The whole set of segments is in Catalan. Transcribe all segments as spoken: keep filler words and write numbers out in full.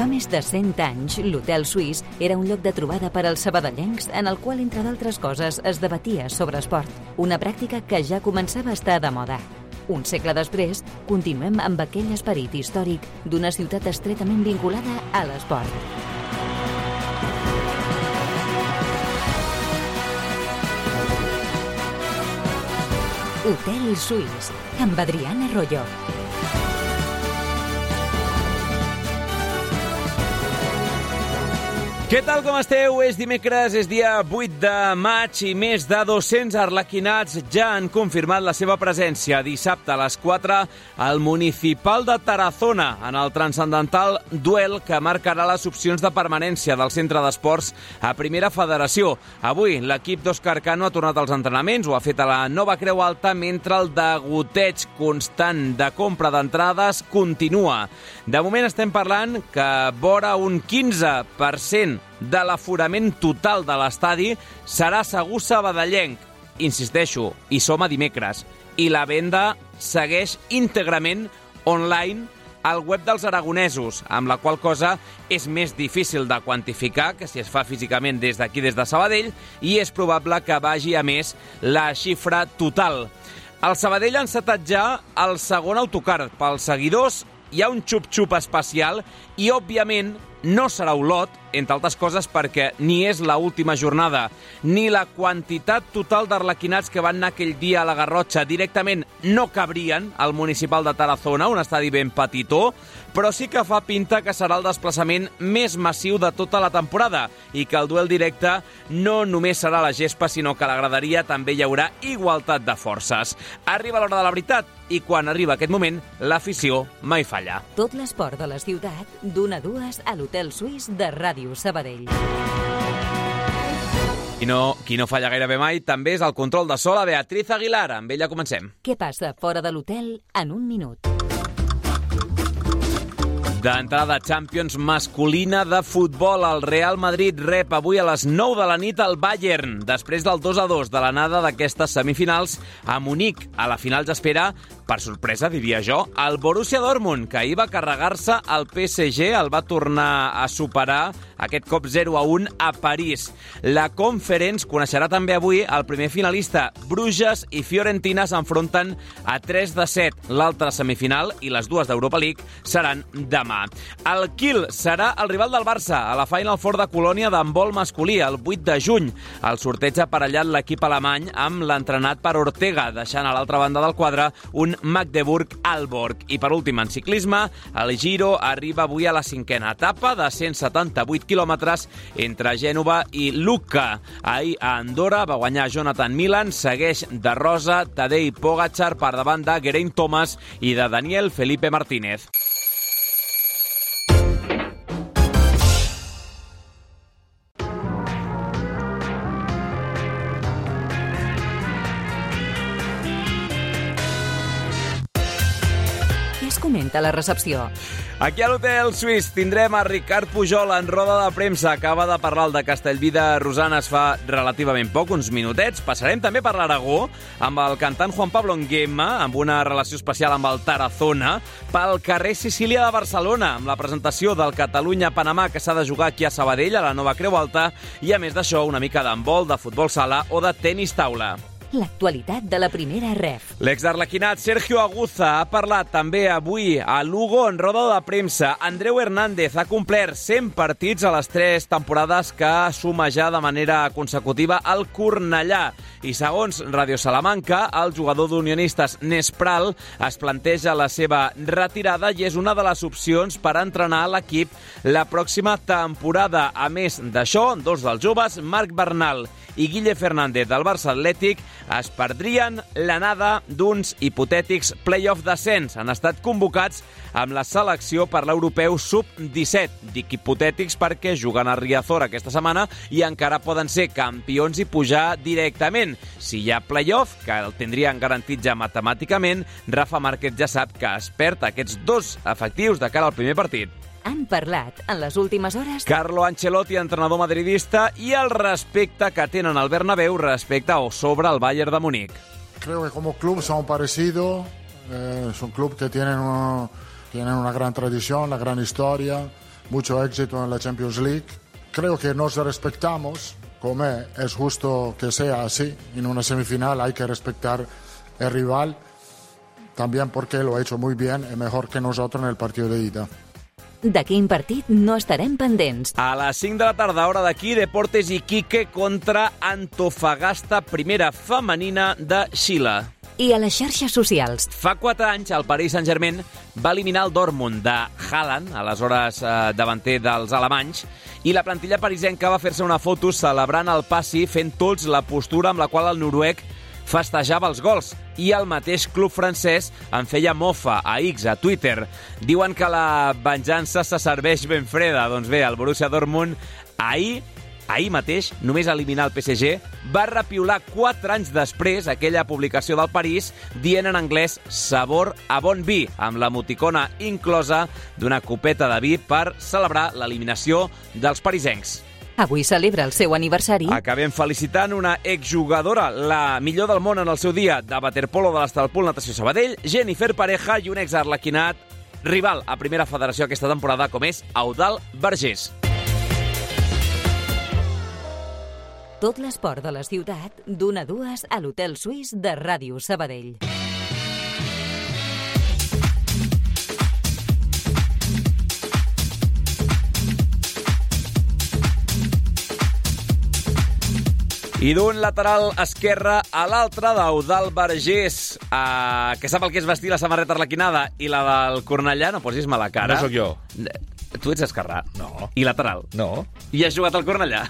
fa més de cent anys, l'Hotel Suís era un lloc de trobada per als sabadellencs en el qual, entre d'altres coses, es debatia sobre esport, una pràctica que ja començava a estar de moda. Un segle després, continuem amb aquell esperit històric d'una ciutat estretament vinculada a l'esport. Hotel Suís, amb Adriana Arroyo. Què tal, com esteu? És dimecres, és dia vuit de maig i més de dos-cents arlequinats ja han confirmat la seva presència dissabte a les quatre al Municipal de Tarazona, en el transcendental duel que marcarà les opcions de permanència del centre d'esports a Primera Federació. Avui l'equip d'Òscar Cano ha tornat als entrenaments, ho ha fet a la Nova Creu Alta, mentre el degoteig constant de compra d'entrades continua. De moment estem parlant que vora un quinze per cent de l'aforament total de l'estadi serà segur sabadellenc. Insisteixo, i som a dimecres. I la venda segueix íntegrament online al web dels aragonesos, amb la qual cosa és més difícil de quantificar que si es fa físicament des d'aquí, des de Sabadell, i és probable que vagi a més la xifra total. El Sabadell ha encetat ja el segon autocar. Pels seguidors hi ha un xup-xup especial i, òbviament, no serà Olot, entre altres coses perquè ni és la última jornada, ni la quantitat total d'arlequinats que van anar aquell dia a la Garrotxa directament no cabrien al Municipal de Tarazona, un estadi ben petitó, però sí que fa pinta que serà el desplaçament més massiu de tota la temporada i que el duel directe no només serà a la gespa, sinó que a la graderia també hi haurà igualtat de forces. Arriba l'hora de la veritat i quan arriba aquest moment, l'afició mai falla. Tot l'esport de la ciutat, d'una a dues a l'Hotel Suís de Ràdio Sabadell. I no, qui no falla gairebé mai també és el control de so, la Beatriz Aguilar. Amb ella comencem. Què passa fora de l'hotel en un minut? D'entrada, Champions masculina de futbol. El Real Madrid rep avui a les nou de la nit al Bayern, després del dos a dos de l'anada d'aquestes semifinals a Munic. A la final s'espera, per sorpresa, diria jo, el Borussia Dortmund, que ahir va carregar-se el P S G, el va tornar a superar aquest cop zero a un a París. La Conference coneixerà també avui el primer finalista. Bruges i Fiorentina s'enfronten a tres de set. L'altra semifinal i les dues d'Europa League seran demà. El Kiel serà el rival del Barça a la Final Four de Colònia d'handbol masculí el vuit de juny. El sorteig ha aparellat l'equip alemany amb l'entrenat per Ortega, deixant a l'altra banda del quadre un Magdeburg-Aalborg. I per últim, en ciclisme, el Giro arriba avui a la cinquena etapa de cent setanta-vuit quilòmetres entre Gènova i Lucca. Ahir a Andorra va guanyar Jonathan Milan, segueix de rosa Tadej Pogačar per davant de Geraint Thomas i de Daniel Felipe Martínez. Comenta la recepció. Aquí a l'Hotel Suís tindrem a Ricard Pujol en roda de premsa. Acaba de parlar el de Castellví de Rosanes fa relativament poc, uns minutets. Passarem també per l'Aragó amb el cantant Juan Pablo Nguema, amb una relació especial amb el Tarazona, pel carrer Sicília de Barcelona, amb la presentació del Catalunya-Panamà que s'ha de jugar aquí a Sabadell, a la Nova Creu Alta, i a més d'això una mica d'handbol, de futbol sala o de tenis taula. L'actualitat de la primera ref. L'exarlequinat Sergio Aguza ha parlat també avui a Lugo en roda de premsa. Andreu Hernández ha complert cent partits a les tres temporades que suma ja de manera consecutiva al Cornellà. I segons Radio Salamanca, el jugador d'Unionistes Nespral es planteja la seva retirada i és una de les opcions per entrenar l'equip la pròxima temporada. A més d'això, dos dels joves, Marc Bernal i Guille Fernández del Barça Atlètic, es perdrien l'anada d'uns hipotètics play-off descens. Han estat convocats amb la selecció per l'europeu sub disset. Dic hipotètics perquè juguen a Riazor aquesta setmana i encara poden ser campions i pujar directament. Si hi ha play-off, que el tindrien garantit ja matemàticament, Rafa Márquez ja sap que es perd aquests dos efectius de cara al primer partit. Han parlat en les últimes hores Carlo Ancelotti, entrenador madridista, i el respecte que tenen al Bernabéu respecte o sobre el Bayern de Múnich. Creo que como club son parecidos, eh, son clubes que tienen, uno, tienen una gran tradición, una gran historia, mucho éxito en la Champions League. Creo que nos respetamos, como es justo que sea así. En una semifinal hay que respetar el rival, también porque lo ha hecho muy bien y mejor que nosotros en el partido de ida. De quin partit no estarem pendents? A les cinc de la tarda, hora d'aquí, Deportes Iquique contra Antofagasta, primera femenina de Xile. I a les xarxes socials. Fa quatre anys, el Paris Saint-Germain va eliminar el Dortmund de Haaland, aleshores eh, davanter dels alemanys, i la plantilla parisenca va fer-se una foto celebrant el passi, fent tots la postura amb la qual el noruec festejava els gols, i el mateix club francès en feia mofa a X, a Twitter. Diuen que la venjança se serveix ben freda. Doncs bé, el Borussia Dortmund ahir, ahir mateix, només eliminar el P S G, va repiular quatre anys després aquella publicació del París dient en anglès sabor a bon vi, amb l'emoticona inclosa d'una copeta de vi per celebrar l'eliminació dels parisencs. Avui celebra el seu aniversari. Acabem felicitant una exjugadora, la millor del món en el seu dia, de waterpolo de l'Estalpol Natació Sabadell, Jennifer Pareja, i un exarlequinat rival a Primera Federació aquesta temporada, com és Eudald Vergés. Tot l'esport de la ciutat, d'una a dues a l'Hotel Suís de Ràdio Sabadell. I d'un lateral esquerre a l'altre, d'Eudald Vergés, eh, que sap el que és vestir la samarreta arlequinada, i la del Cornellà, no posis mala cara. No sóc jo. Tu ets esquerrà. No. I lateral. No. I has jugat al Cornellà?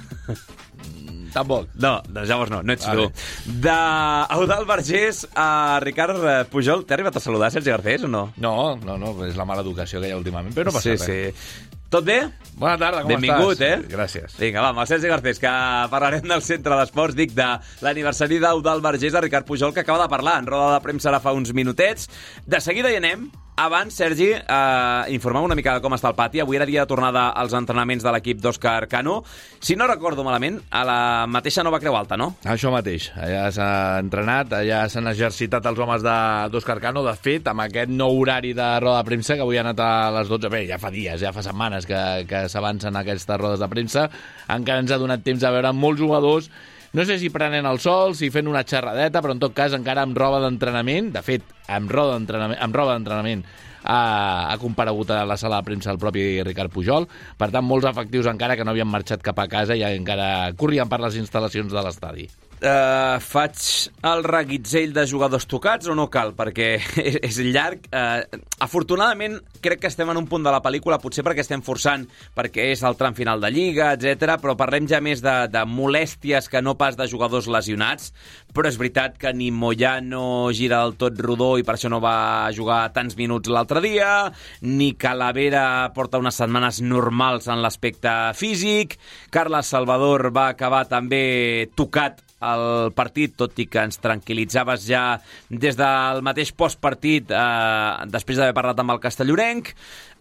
Tampoc. No, doncs llavors no, no ets Vale. tu. D'Eudald Vergés a Ricard Pujol, t'ha arribat a saludar Sergi Garcés o no? No, no, no, és la mala educació que hi ha últimament, però no passa Sí, res. sí. Tot bé? Bona tarda, com Benvingut, estàs? eh? Gràcies. Vinga, va, amb el Sergi Garcés, que parlarem del Centre d'Esports, dic, de l'aniversari d'Eudald Vergés a Ricard Pujol, que acaba de parlar en roda de premsa ara fa uns minutets. De seguida hi anem. Abans, Sergi, eh, informam una mica de com està el pati. Avui era dia de tornada als entrenaments de l'equip d'Òscar Cano. Si no recordo malament, a la mateixa Nova Creu Alta, no? Això mateix. Allà s'ha entrenat, allà s'han exercitat els homes de- d'Òscar Cano. De fet, amb aquest nou horari de roda de premsa, que avui ha anat a les dotze, bé, ja fa dies, ja fa setmanes que, que s'avancen aquestes rodes de premsa, encara ens ha donat temps a veure molts jugadors, no sé si prenent el sol, si fent una xerradeta, però en tot cas encara amb roba d'entrenament. De fet, amb roba d'entrenament, amb roba d'entrenament ha, ha comparegut a la sala de premsa el propi Ricard Pujol. Per tant, molts efectius encara que no havien marxat cap a casa i encara corrien per les instal·lacions de l'estadi. Uh, faig el reguitzell de jugadors tocats o no cal? Perquè és, és llarg. Uh, afortunadament, crec que estem en un punt de la pel·lícula, potser perquè estem forçant, perquè és el tram final de Lliga, etcètera, però parlem ja més de, de molèsties que no pas de jugadors lesionats. Però és veritat que ni Moyano gira del tot rodó i per això no va jugar tants minuts l'altre dia, ni Calavera porta unes setmanes normals en l'aspecte físic, Carles Salvador va acabar també tocat el partit, tot i que ens tranquil·litzaves ja des del mateix postpartit, eh, després d'haver parlat amb el castellorenc.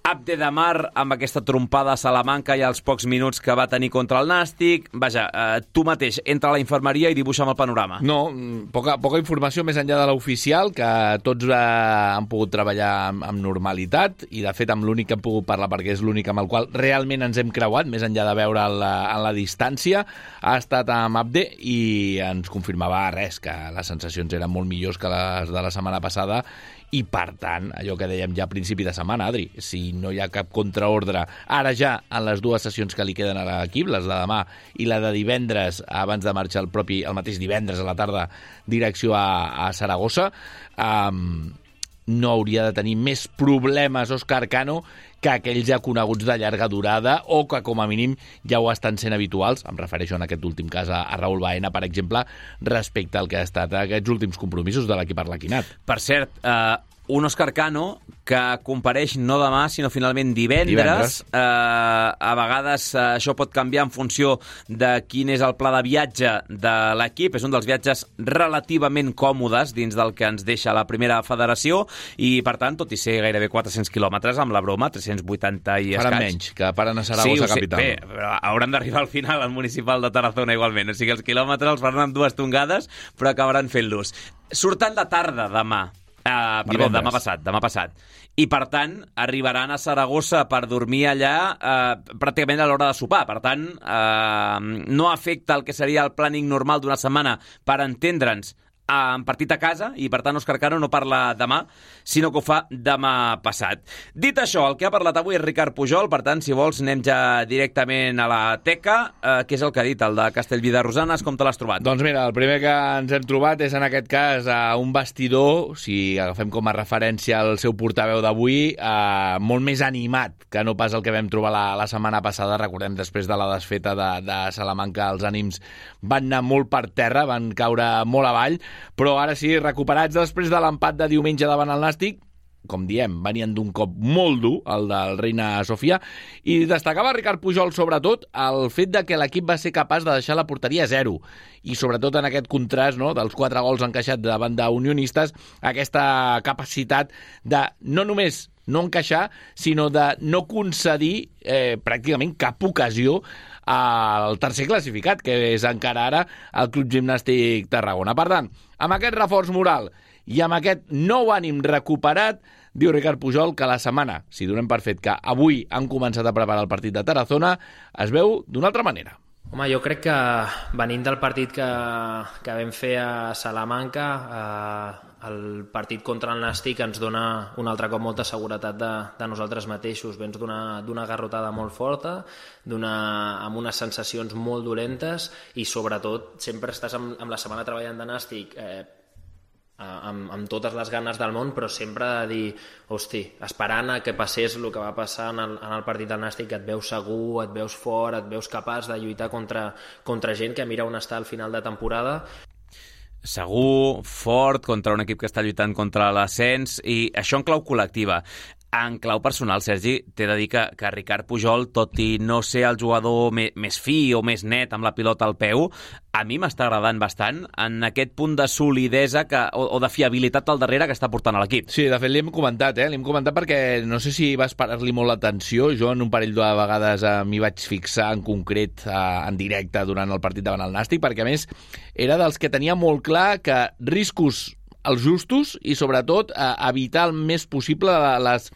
Abde Damar amb aquesta trompada a Salamanca i els pocs minuts que va tenir contra el Nàstic. Vaja, eh, tu mateix entra a la infermeria i dibuixa'm el panorama. No, poca, poca informació més enllà de l'oficial, que tots eh, han pogut treballar amb, amb normalitat, i de fet amb l'únic que hem pogut parlar, perquè és l'únic amb el qual realment ens hem creuat, més enllà de veure en la, en la distància, ha estat amb Abde i ens confirmava res, que les sensacions eren molt millors que les de la setmana passada, i per tant, allò que dèiem ja a principi de setmana, Adri, si no hi ha cap contraordre ara ja en les dues sessions que li queden a l'equip, les de demà i la de divendres, abans de marxar el propi el mateix divendres a la tarda direcció a, a Saragossa, um, no hauria de tenir més problemes Òscar Cano que aquells ja coneguts de llarga durada o que com a mínim ja ho estan sent habituals. Em refereixo en aquest últim cas a, a Raúl Baena, per exemple, respecte al que ha estat aquests últims compromisos de l'equip arlequinat. Per cert, eh, un Òscar Cano que compareix no demà, sinó finalment divendres. Divendres. Eh, a vegades eh, això pot canviar en funció de quin és el pla de viatge de l'equip. És un dels viatges relativament còmodes dins del que ens deixa la primera federació i, per tant, tot i ser gairebé quatre-cents quilòmetres, amb la broma, tres-cents vuitanta i escaig. Faran menys, que paren a Saragossa sí, capital. Bé, però hauran d'arribar al final al municipal de Tarazona igualment. O sigui, els quilòmetres els faran amb dues tongades, però acabaran fent-los. Surten de tarda demà. Uh, perdó, Divendres. demà passat, demà passat. I, per tant, arribaran a Saragossa per dormir allà uh, pràcticament a l'hora de sopar. Per tant, uh, no afecta el que seria el planning normal d'una setmana, per entendre'ns, en partit a casa, i per tant Òscar Cano no parla demà, sinó que ho fa demà passat. Dit això, el que ha parlat avui és Ricard Pujol, per tant, si vols, anem ja directament a la teca. Eh, què és el que ha dit, el de Castellví de Rosanes? Com te l'has trobat? Doncs mira, el primer que ens hem trobat és, en aquest cas, a un vestidor, si agafem com a referència el seu portaveu d'avui, eh, molt més animat que no pas el que vam trobar la, la setmana passada. Recordem, després de la desfeta de, de Salamanca, els ànims van anar molt per terra, van caure molt avall, però ara sí, recuperats després de l'empat de diumenge davant el Nàstic, com diem, venien d'un cop molt dur, el del Reina Sofia, i destacava Ricard Pujol, sobretot, el fet de que l'equip va ser capaç de deixar la porteria a zero, i sobretot en aquest contrast, no?, dels quatre gols encaixats davant d'unionistes, aquesta capacitat de no només no encaixar, sinó de no concedir eh, pràcticament cap ocasió al tercer classificat, que és encara ara el Club Gimnàstic Tarragona. Per tant, amb aquest reforç moral i amb aquest nou ànim recuperat, diu Ricard Pujol que la setmana, si donem per fet que avui han començat a preparar el partit de Tarazona, es veu d'una altra manera. Home, jo crec que venint del partit que, que vam fer a Salamanca, eh, el partit contra el Nàstic ens dona un altre cop molta seguretat de, de nosaltres mateixos. Vens d'una garrotada molt forta, amb unes sensacions molt dolentes, i sobretot sempre estàs amb, amb la setmana treballant de Nàstic eh, amb, amb totes les ganes del món, però sempre de dir, hosti, esperant a que passés el que va passar en el, en el partit del Nàstic, que et veus segur, et veus fort, et veus capaç de lluitar contra, contra gent que mira on està al final de temporada. Segur, fort, contra un equip que està lluitant contra l'ascens, i això en clau col·lectiva. En clau personal, Sergi, t'he de dir que, que Ricard Pujol, tot i no ser el jugador me, més fi o més net amb la pilota al peu, a mi m'està agradant bastant en aquest punt de solidesa que, o, o de fiabilitat al darrere que està portant a l'equip. Sí, de fet, li hem comentat, eh? Li hem comentat perquè no sé si vas parar-li molt l'atenció. Jo en un parell de vegades eh, m'hi vaig fixar en concret eh, en directe durant el partit davant el Nàstic, perquè a més era dels que tenia molt clar que riscos els justos i, sobretot, eh, evitar el més possible les,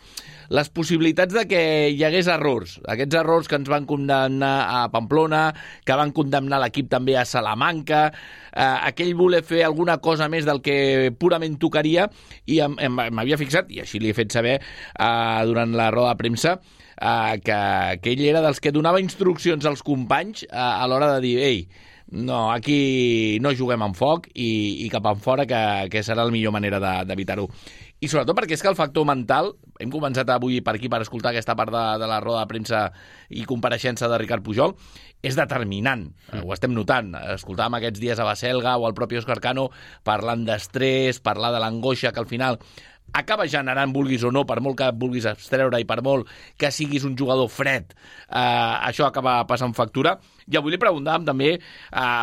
les possibilitats de que hi hagués errors. Aquests errors que ens van condemnar a Pamplona, que van condemnar l'equip també a Salamanca, eh, aquell voler fer alguna cosa més del que purament tocaria, i m'havia fixat, i així li he fet saber eh, durant la roda de premsa, eh, que, que ell era dels que donava instruccions als companys eh, a l'hora de dir, ei, no, aquí no juguem amb foc i, i cap en fora, que, que serà la millor manera d'evitar-ho. I sobretot perquè és que el factor mental, hem començat avui per aquí per escoltar aquesta part de, de la roda de premsa i compareixença de Ricard Pujol, és determinant, mm. ho estem notant. Escoltàvem aquests dies a Baselga o al propi Òscar Cano parlant d'estrès, parlar de l'angoixa que al final acaba generant, vulguis o no, per molt que vulguis abstreure i per molt que siguis un jugador fred, eh, això acaba passant factura. I avui li preguntàvem també eh,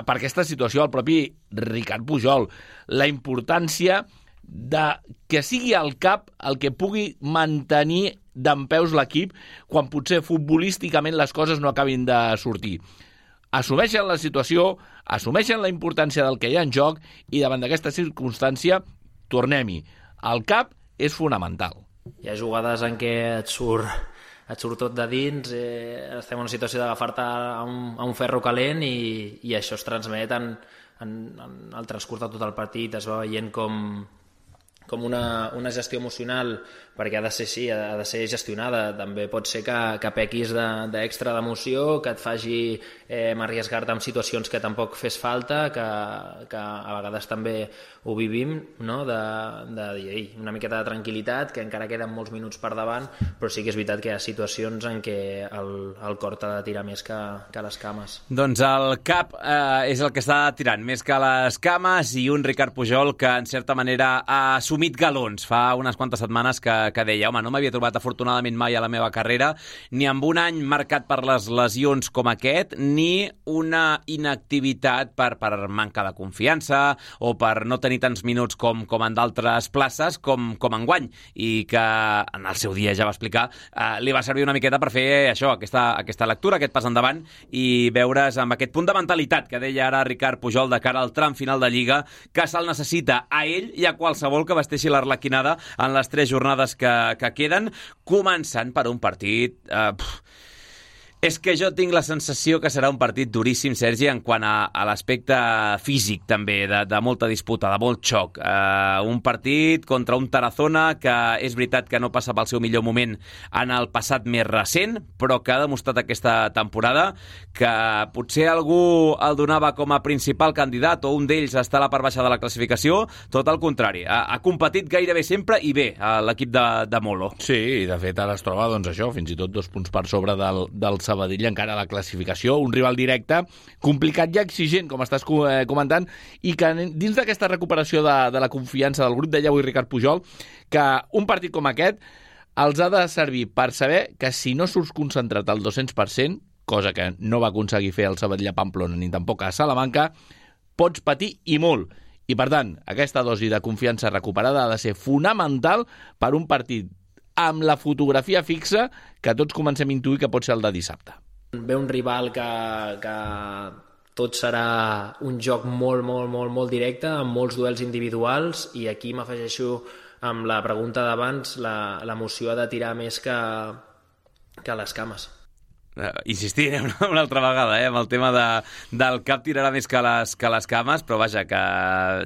per aquesta situació al propi Ricard Pujol, la importància de que sigui el cap el que pugui mantenir dempeus l'equip quan potser futbolísticament les coses no acabin de sortir. Assumeixen la situació, assumeixen la importància del que hi ha en joc, i davant d'aquesta circumstància, tornem-hi. El cap és fonamental. Hi ha jugades en què et surt, et surt tot de dins, eh, estem en una situació d'agafar-te a, un, a un ferro calent, i, i això es transmet en, en, en el transcurs de tot el partit. Es va veient com, com una, una gestió emocional, perquè ha de ser, sí, ha de ser gestionada. També pot ser que, que pequis d'extra de, d'emoció, que et faci eh, arriesgar-te en situacions que tampoc fes falta, que, que a vegades també ho vivim, no? de, de dir, ei, una miqueta de tranquil·litat, que encara queden molts minuts per davant, però sí que és veritat que hi ha situacions en què el, el cor t'ha de tirar més que, que les cames. Doncs el cap eh, és el que està tirant més que les cames, i un Ricard Pujol que en certa manera ha assumit galons. Fa unes quantes setmanes que que deia, home, no m'havia trobat afortunadament mai a la meva carrera, ni amb un any marcat per les lesions com aquest, ni una inactivitat per, per manca de confiança o per no tenir tants minuts com, com en d'altres places com, com enguany, i que en el seu dia ja va explicar, eh, li va servir una miqueta per fer això, aquesta, aquesta lectura, aquest pas endavant, i veure's amb aquest punt de mentalitat que deia ara Ricard Pujol de cara al tram final de Lliga, que se'l necessita a ell i a qualsevol que vesteixi l'Arlequinada en les tres jornades que, que queden, començant per un partit... Eh, pff, és que jo tinc la sensació que serà un partit duríssim, Sergi, en quant a, a l'aspecte físic, també, de, de molta disputa, de molt xoc. Uh, un partit contra un Tarazona que és veritat que no passa pel seu millor moment en el passat més recent, però que ha demostrat aquesta temporada que potser algú el donava com a principal candidat o un d'ells està a la part baixa de la classificació, tot el contrari. Ha, ha competit gairebé sempre i bé l'equip de, de Molo. Sí, i de fet ara es troba, doncs això, fins i tot dos punts per sobre del, del Sabadell encara a la classificació, un rival directe complicat i exigent, com estàs comentant, i que dins d'aquesta recuperació de, de la confiança del grup, deia avui Ricard Pujol, que un partit com aquest els ha de servir per saber que si no surts concentrat al dos-cents per cent, cosa que no va aconseguir fer el Sabadell a Pamplona ni tampoc a Salamanca, pots patir i molt. I per tant, aquesta dosi de confiança recuperada ha de ser fonamental per un partit amb la fotografia fixa que tots comencem a intuir que pot ser el de dissabte. Ve un rival que, que tot serà un joc molt, molt, molt, molt directe, amb molts duels individuals, i aquí m'afegeixo amb la pregunta d'abans, l'emoció ha de tirar més que, que les cames. Uh, insistiré una, una altra vegada, eh, amb el tema de, del cap tirarà més que les, que les cames, però vaja, que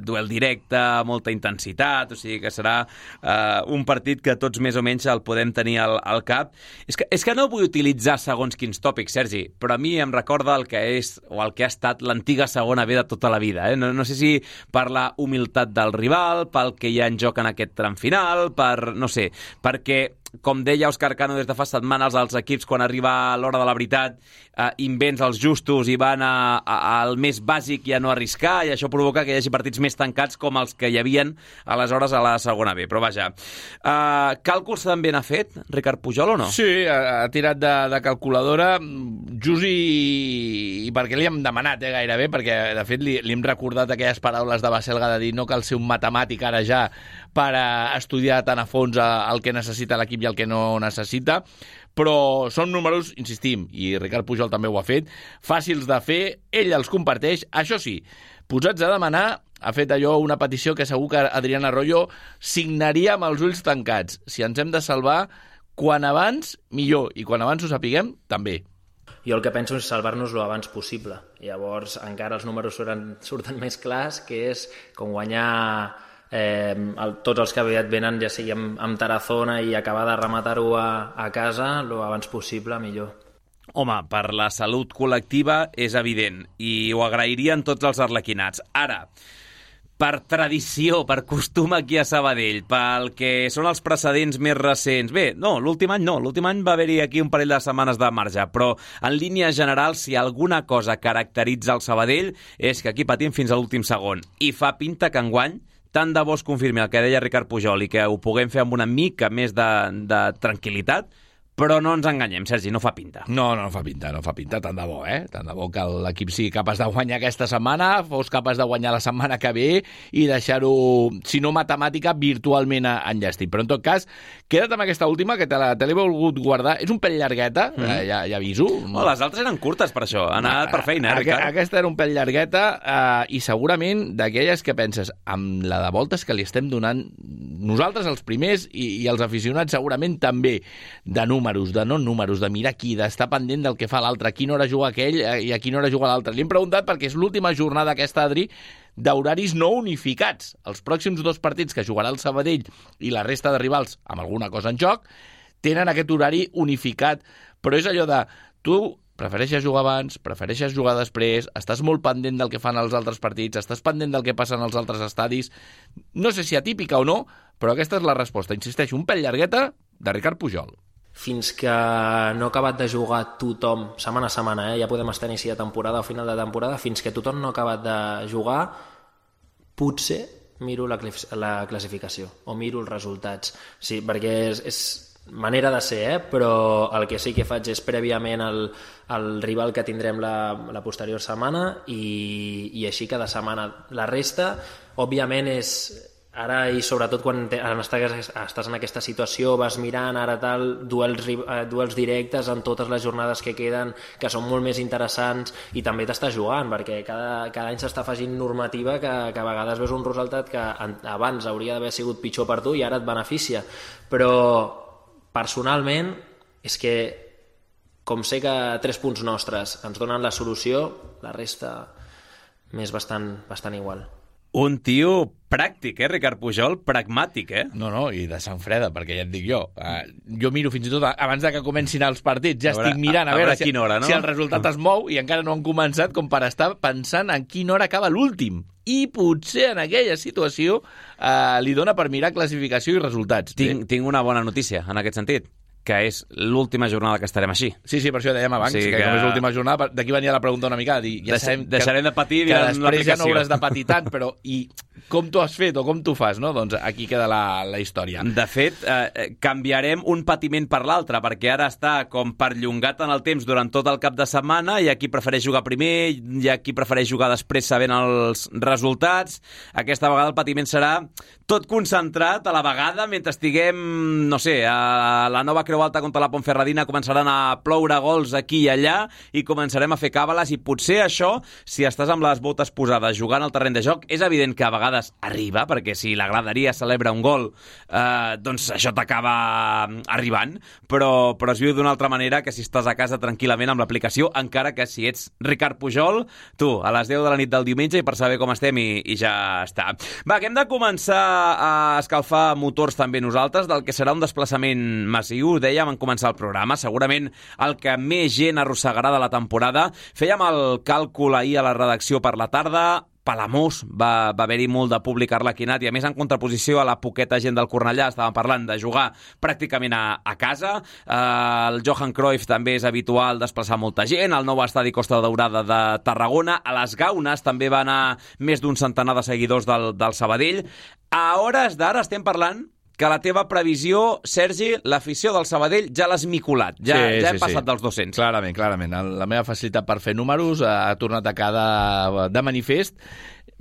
duel directe, molta intensitat, o sigui que serà uh, un partit que tots més o menys el podem tenir al, al cap. És que, és que no vull utilitzar segons quins tòpics, Sergi, però a mi em recorda el que és o el que ha estat l'antiga segona B de tota la vida. Eh? No, no sé si per la humilitat del rival, pel que hi ha en joc en aquest tram final, per, no sé, perquè com deia Òscar Cano des de fa setmanes, els equips quan arriba l'hora de la veritat eh, invents els justos i van a, a, al més bàsic i a no arriscar, i això provoca que hi hagi partits més tancats com els que hi havien aleshores a la segona B. Però vaja, eh, càlculs també n'ha fet Ricard Pujol o no? Sí, ha, ha tirat de, de calculadora just i, i perquè li hem demanat eh, gairebé, perquè de fet li, li hem recordat aquelles paraules de Baselga de dir no cal ser un matemàtic ara ja per a estudiar tan a fons el que necessita l'equip i el que no necessita, però són números, insistim, i Ricard Pujol també ho ha fet, fàcils de fer, ell els comparteix, això sí, posats a demanar, ha fet allò una petició que segur que Adrián Arroyo signaria amb els ulls tancats. Si ens hem de salvar, quan abans, millor, i quan abans ho sapiguem, també. Jo el que penso és salvar-nos lo abans possible. Llavors, encara els números surten, surten més clars, que és com guanyar eh, el, tots els que aviat venen, ja sigui amb, amb Tarazona, i acabar de rematar-ho a, a casa lo abans possible, millor. Home, per la salut col·lectiva és evident, i ho agrairien tots els arlequinats. Ara, per tradició, per costum aquí a Sabadell, pel que són els precedents més recents. Bé, no, l'últim any no, l'últim any va haver-hi aquí un parell de setmanes de marge, però en línia general, si alguna cosa caracteritza el Sabadell és que aquí patim fins a l'últim segon, i fa pinta que enguany, tant de bo es confirmi el que deia Ricard Pujol i que ho puguem fer amb una mica més de, de tranquil·litat, però no ens enganyem, Sergi, no fa pinta. No, no fa pinta, no fa pinta, tant de bo, eh? Tant de bo que l'equip sigui capaç de guanyar aquesta setmana, fos capaç de guanyar la setmana que ve i deixar-ho, si no matemàtica, virtualment enllestit. Però en tot cas, queda't amb aquesta última, que te l'he volgut guardar. És un pèl llargueta, mm. eh, ja, ja aviso. No, les altres eren curtes per això, han anat per feina, eh, Ricard? Aquesta era un pèl llargueta eh, i segurament d'aquelles que penses, amb la de voltes que li estem donant nosaltres els primers i, i els aficionats segurament també, de números, de no números, de mirar qui, d'estar pendent del que fa l'altre, a quina hora juga aquell i a quina hora juga l'altre. Li hem preguntat perquè és l'última jornada aquesta, Adri, d'horaris no unificats. Els pròxims dos partits que jugarà el Sabadell i la resta de rivals amb alguna cosa en joc tenen aquest horari unificat, però és allò de tu prefereixes jugar abans, prefereixes jugar després, estàs molt pendent del que fan els altres partits, estàs pendent del que passa en els altres estadis. No sé si atípica o no, però aquesta és la resposta. Insisteixo, un pèl llargueta de Ricard Pujol. Fins que no ha acabat de jugar tothom, setmana a setmana, eh? Ja podem estar a inici de temporada o final de temporada, fins que tothom no ha acabat de jugar, potser miro la, la classificació o miro els resultats. Sí, perquè és, és manera de ser, eh? Però el que sí que faig és prèviament el, el rival que tindrem la, la posterior setmana i, i així cada setmana. La resta, òbviament, és ara, i sobretot quan te, estàs, estàs en aquesta situació, vas mirant ara tal, duels, eh, duels directes en totes les jornades que queden, que són molt més interessants, i també t'estàs jugant, perquè cada, cada any s'està afegint normativa que, que a vegades veus un resultat que abans hauria d'haver sigut pitjor per tu i ara et beneficia. Però personalment és que, com sé que tres punts nostres ens donen la solució, la resta m'és bastant, bastant igual. Un tio pràctic, eh, Ricard Pujol? Pragmàtic, eh? No, no, i de sang freda, perquè ja et dic jo. Uh, jo miro fins i tot abans de que comencin els partits, ja a veure, estic mirant a, a veure, a veure si, hora, no? si el resultat es mou, i encara no han començat, com per estar pensant en quina hora acaba l'últim. I potser en aquella situació uh, li dona per mirar classificació i resultats. Tinc, eh? tinc una bona notícia en aquest sentit, que és l'última jornada que estarem així. Sí, sí, per això dèiem abans, sí, que, que com és l'última jornada, d'aquí venia la pregunta una mica, dir, ja sabem que, deixarem de patir que després ja no hauràs de patir tant, però i com t'ho has fet o com t'ho fas, no? Doncs aquí queda la, la història. De fet, eh, canviarem un patiment per l'altre, perquè ara està com perllongat en el temps durant tot el cap de setmana, i aquí prefereix jugar primer, i aquí prefereix jugar després sabent els resultats. Aquesta vegada el patiment serà tot concentrat a la vegada, mentre estiguem, no sé, a la nova Creu Alta contra la Ponferradina començaran a ploure gols aquí i allà, i començarem a fer càbales, i potser això, si estàs amb les botes posades jugant al terreny de joc, és evident que a vegades arriba, perquè si la graderia celebra un gol, eh, doncs això t'acaba arribant, però, però es viu d'una altra manera que si estàs a casa tranquil·lament amb l'aplicació, encara que si ets Ricard Pujol, tu, a les deu de la nit del diumenge, i per saber com estem, i, i ja està. Va, que hem de començar a escalfar motors també nosaltres, del que serà un desplaçament massiu, dèiem en començar el programa, segurament el que més gent arrossegarà de la temporada. Fèiem el càlcul ahir a la redacció per la tarda, Palamós va, va haver-hi molt de públic arlequinat, i a més en contraposició a la poqueta gent del Cornellà estàvem parlant de jugar pràcticament a, a casa. Eh, el Johan Cruyff també és habitual desplaçar molta gent, el nou estadi Costa Daurada de Tarragona, a les Gaunes també va anar més d'un centenar de seguidors del, del Sabadell. A hores d'ara estem parlant que la teva previsió, Sergi, l'afició del Sabadell ja l'has miculat. Ja, sí, ja hem sí, passat sí. dels dos-cents. Clarament, clarament. La meva facilitat per fer números ha tornat a quedar de manifest.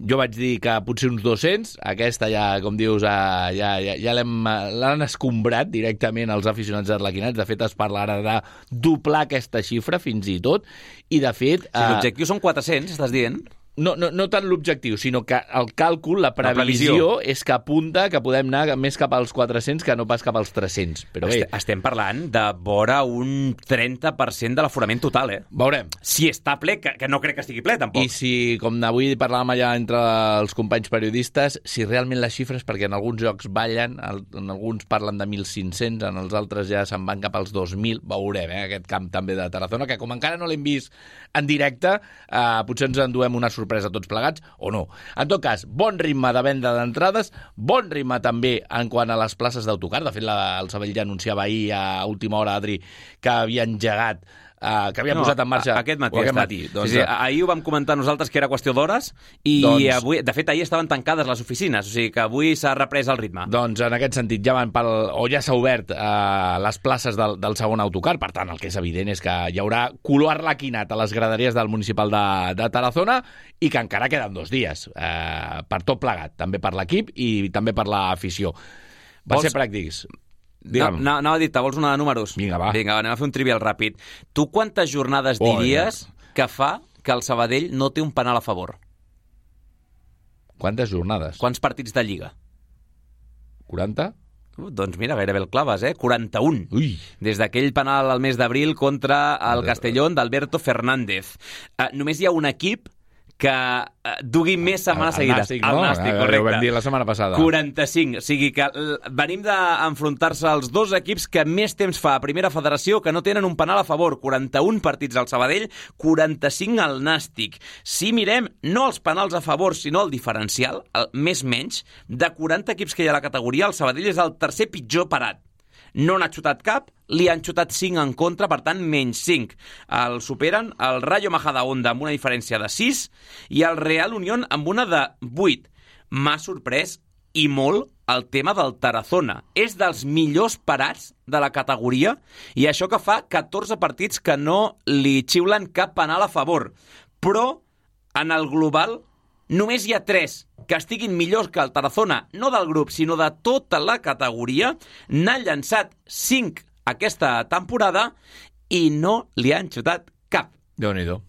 Jo vaig dir que potser uns dos-cents. Aquesta ja, com dius, ja, ja, ja l'han escombrat directament els aficionats arlequinats. De fet, es parla ara de doblar aquesta xifra, fins i tot. I, de fet... Si l'objectiu són quatre-cents, estàs dient? No, no, no tant l'objectiu, sinó que el càlcul, la previsió, la previsió, és que apunta que podem anar més cap als quatre-cents que no pas cap als tres-cents. Però bé, estem parlant de vora un trenta per cent de l'aforament total, eh? Veurem. Si està ple, que, que no crec que estigui ple, tampoc. I si, com avui parlàvem allà entre els companys periodistes, si realment les xifres, perquè en alguns jocs ballen, en alguns parlen de mil cinc-cents, en els altres ja se'n van cap als dos mil, veurem, eh? Aquest camp també de Tarazona, que com encara no l'hem vist en directe, eh, potser ens enduem una sorpresa sorpresa tots plegats, o no. En tot cas, bon ritme de venda d'entrades, bon ritme també en quant a les places d'autocar. De fet, la, el Sabadell ja anunciava ahir a última hora, Adri, que havia engegat Uh, que havia no, posat en marxa aquest matí. Aquest matí doncs, sí, sí, ahir ho vam comentar nosaltres que era qüestió d'hores, i doncs, avui, de fet ahir estaven tancades les oficines, o sigui que avui s'ha reprès el ritme. Doncs en aquest sentit ja van pel, o ja s'ha obert uh, les places del, del segon autocar. Per tant, el que és evident és que hi haurà color arlequinat a les graderies del municipal de, de Tarazona, i que encara queden dos dies uh, per tot plegat, també per l'equip i també per l'afició. Va Vols... ser pràctics. No, no, anava a dir, vols una de números? Vinga, va. Vinga, va, anem a fer un trivial ràpid. Tu quantes jornades oh, diries ja. que fa que el Sabadell no té un penal a favor? Quantes jornades? Quants partits de Lliga? quaranta? Uh, doncs mira, gairebé el claves, eh? quaranta-un. Ui. Des d'aquell penal al mes d'abril contra el Castellón d'Alberto Fernández. Uh, només hi ha un equip que uh, dugui més setmanes seguides. Nàstic, no? El Nàstic, correcte. Ho vam dir la setmana passada. quaranta-cinc. O sigui que venim d'enfrontar-se als dos equips que més temps fa a Primera Federació que no tenen un penal a favor. quaranta-un partits al Sabadell, quaranta-cinc al Nàstic. Si mirem no els penals a favor, sinó el diferencial, el més menys, de quaranta equips que hi ha a la categoria, el Sabadell és el tercer pitjor parat. No n'ha xutat cap, li han xutat cinc en contra, per tant, menys cinc. El superen el Rayo Majadahonda amb una diferència de sis i el Real Unión amb una de vuit. M'ha sorprès i molt el tema del Tarazona. És dels millors parats de la categoria, i això que fa catorze partits que no li xiulen cap penal a favor. Però, en el global, només hi ha tres que estiguin millors que el Tarazona, no del grup, sinó de tota la categoria. N'han llançat cinc aquesta temporada i no li han xutat cap. Déu-n'hi-do.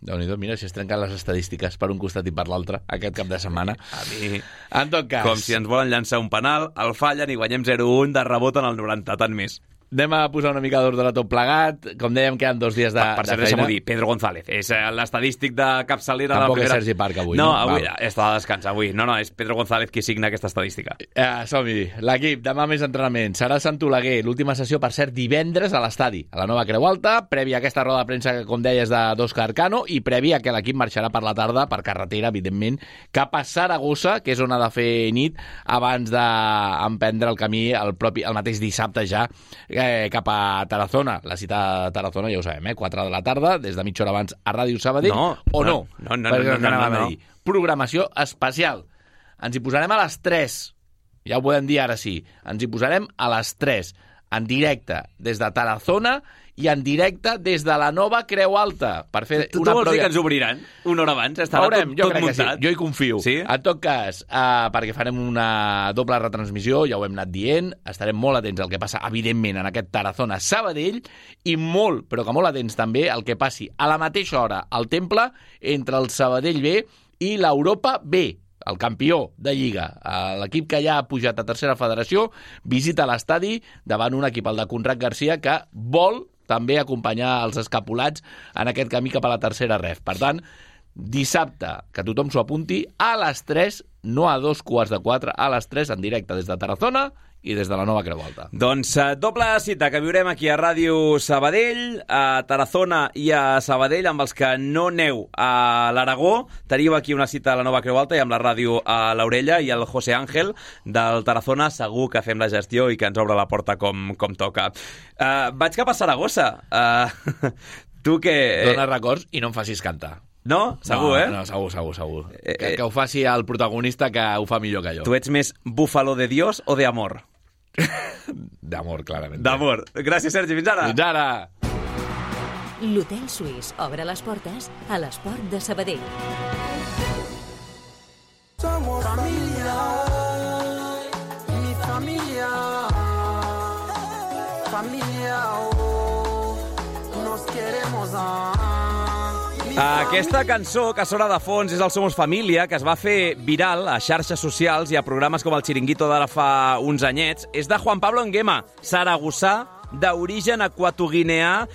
Déu-n'hi-do, mira, si es trenquen les estadístiques per un costat i per l'altre aquest cap de setmana. A mi, en tot cas... com si ens volen llançar un penal, el fallen i guanyem zero a un de rebot en el noranta, tant més. Anem a posar una mica d'ordre a tot plegat. Com dèiem, queden dos dies de, per, per de cert, feina. deixa'm-ho dir, Pedro González. És l'estadístic de capçalera. Tampoc de la primera... és Sergi Parc avui, no? no? avui Val. està de descans, avui. No, no, és Pedro González qui signa aquesta estadística. Eh, som-hi. L'equip, demà més entrenament. Serà Sant Oleguer. L'última sessió, per cert, divendres a l'estadi, a la nova Creu Alta, prèvia a aquesta roda de premsa que, com deies, d'Òscar Cano, i prèvia que l'equip marxarà per la tarda, per carretera, evidentment, cap a Saragossa, que és on ha de fer nit, abans d'emprendre el camí el, propi, el mateix dissabte ja, eh, cap a Tarazona. La cita a Tarazona ja ho sabem, eh? quatre de la tarda, des de mitja hora abans a Ràdio Sabadell, no, o no? No, no, no, Perquè no, no, no, no. Programació especial. Ens hi posarem a les tres. Ja ho podem dir ara sí. Ens hi posarem a les tres, en directe des de Tarazona i en directe des de la nova Creu Alta, per fer tu, una tu vols dir pròvia... que ens obriran una hora abans? Estarà Veurem, tot, jo tot crec muntat? que sí, jo hi confio. Sí? En tot cas, uh, perquè farem una doble retransmissió, ja ho hem anat dient, estarem molt atents al que passa, evidentment, en aquest Tarazona Sabadell, i molt, però que molt atents també al que passi a la mateixa hora al Temple entre el Sabadell B i l'Europa B, el campió de Lliga. L'equip que ja ha pujat a tercera federació visita l'estadi davant un equip, el de Conrad Garcia, que vol també acompanyar els escapulats en aquest camí cap a la tercera ref. Per tant, dissabte, que tothom s'ho apunti, a les tres, no a dos quarts de quatre, a les tres, en directe des de Tarazona i des de la nova Creu Alta. Doncs uh, doble cita que viurem aquí a Ràdio Sabadell, a Tarazona i a Sabadell, amb els que no neu a l'Aragó. Teniu aquí una cita a la nova Creu Alta i amb la ràdio a l'orella, i el José Ángel del Tarazona segur que fem la gestió i que ens obre la porta com, com toca. Uh, vaig cap a Saragossa. Uh, tu que... Dóna records i no em facis cantar. No? Segur, no, eh? No, segur, segur, segur. Eh, que, eh, que ho faci el protagonista, que ho fa millor que jo. Tu ets més búfalo de Dios o de amor? D'amor, clarament. D'amor. Gràcies, Sergi. Fins ara. Fins ara. L'Hotel Suís obre les portes a l'Esport de Sabadell. Somos familia, mi familia, familia, oh, nos queremos a... Aquesta cançó que sona de fons és el Somos Família, que es va fer viral a xarxes socials i a programes com el Chiringuito d'ara fa uns anyets. És de Juan Pablo Nguema, saragossà, d'origen equatoguineà,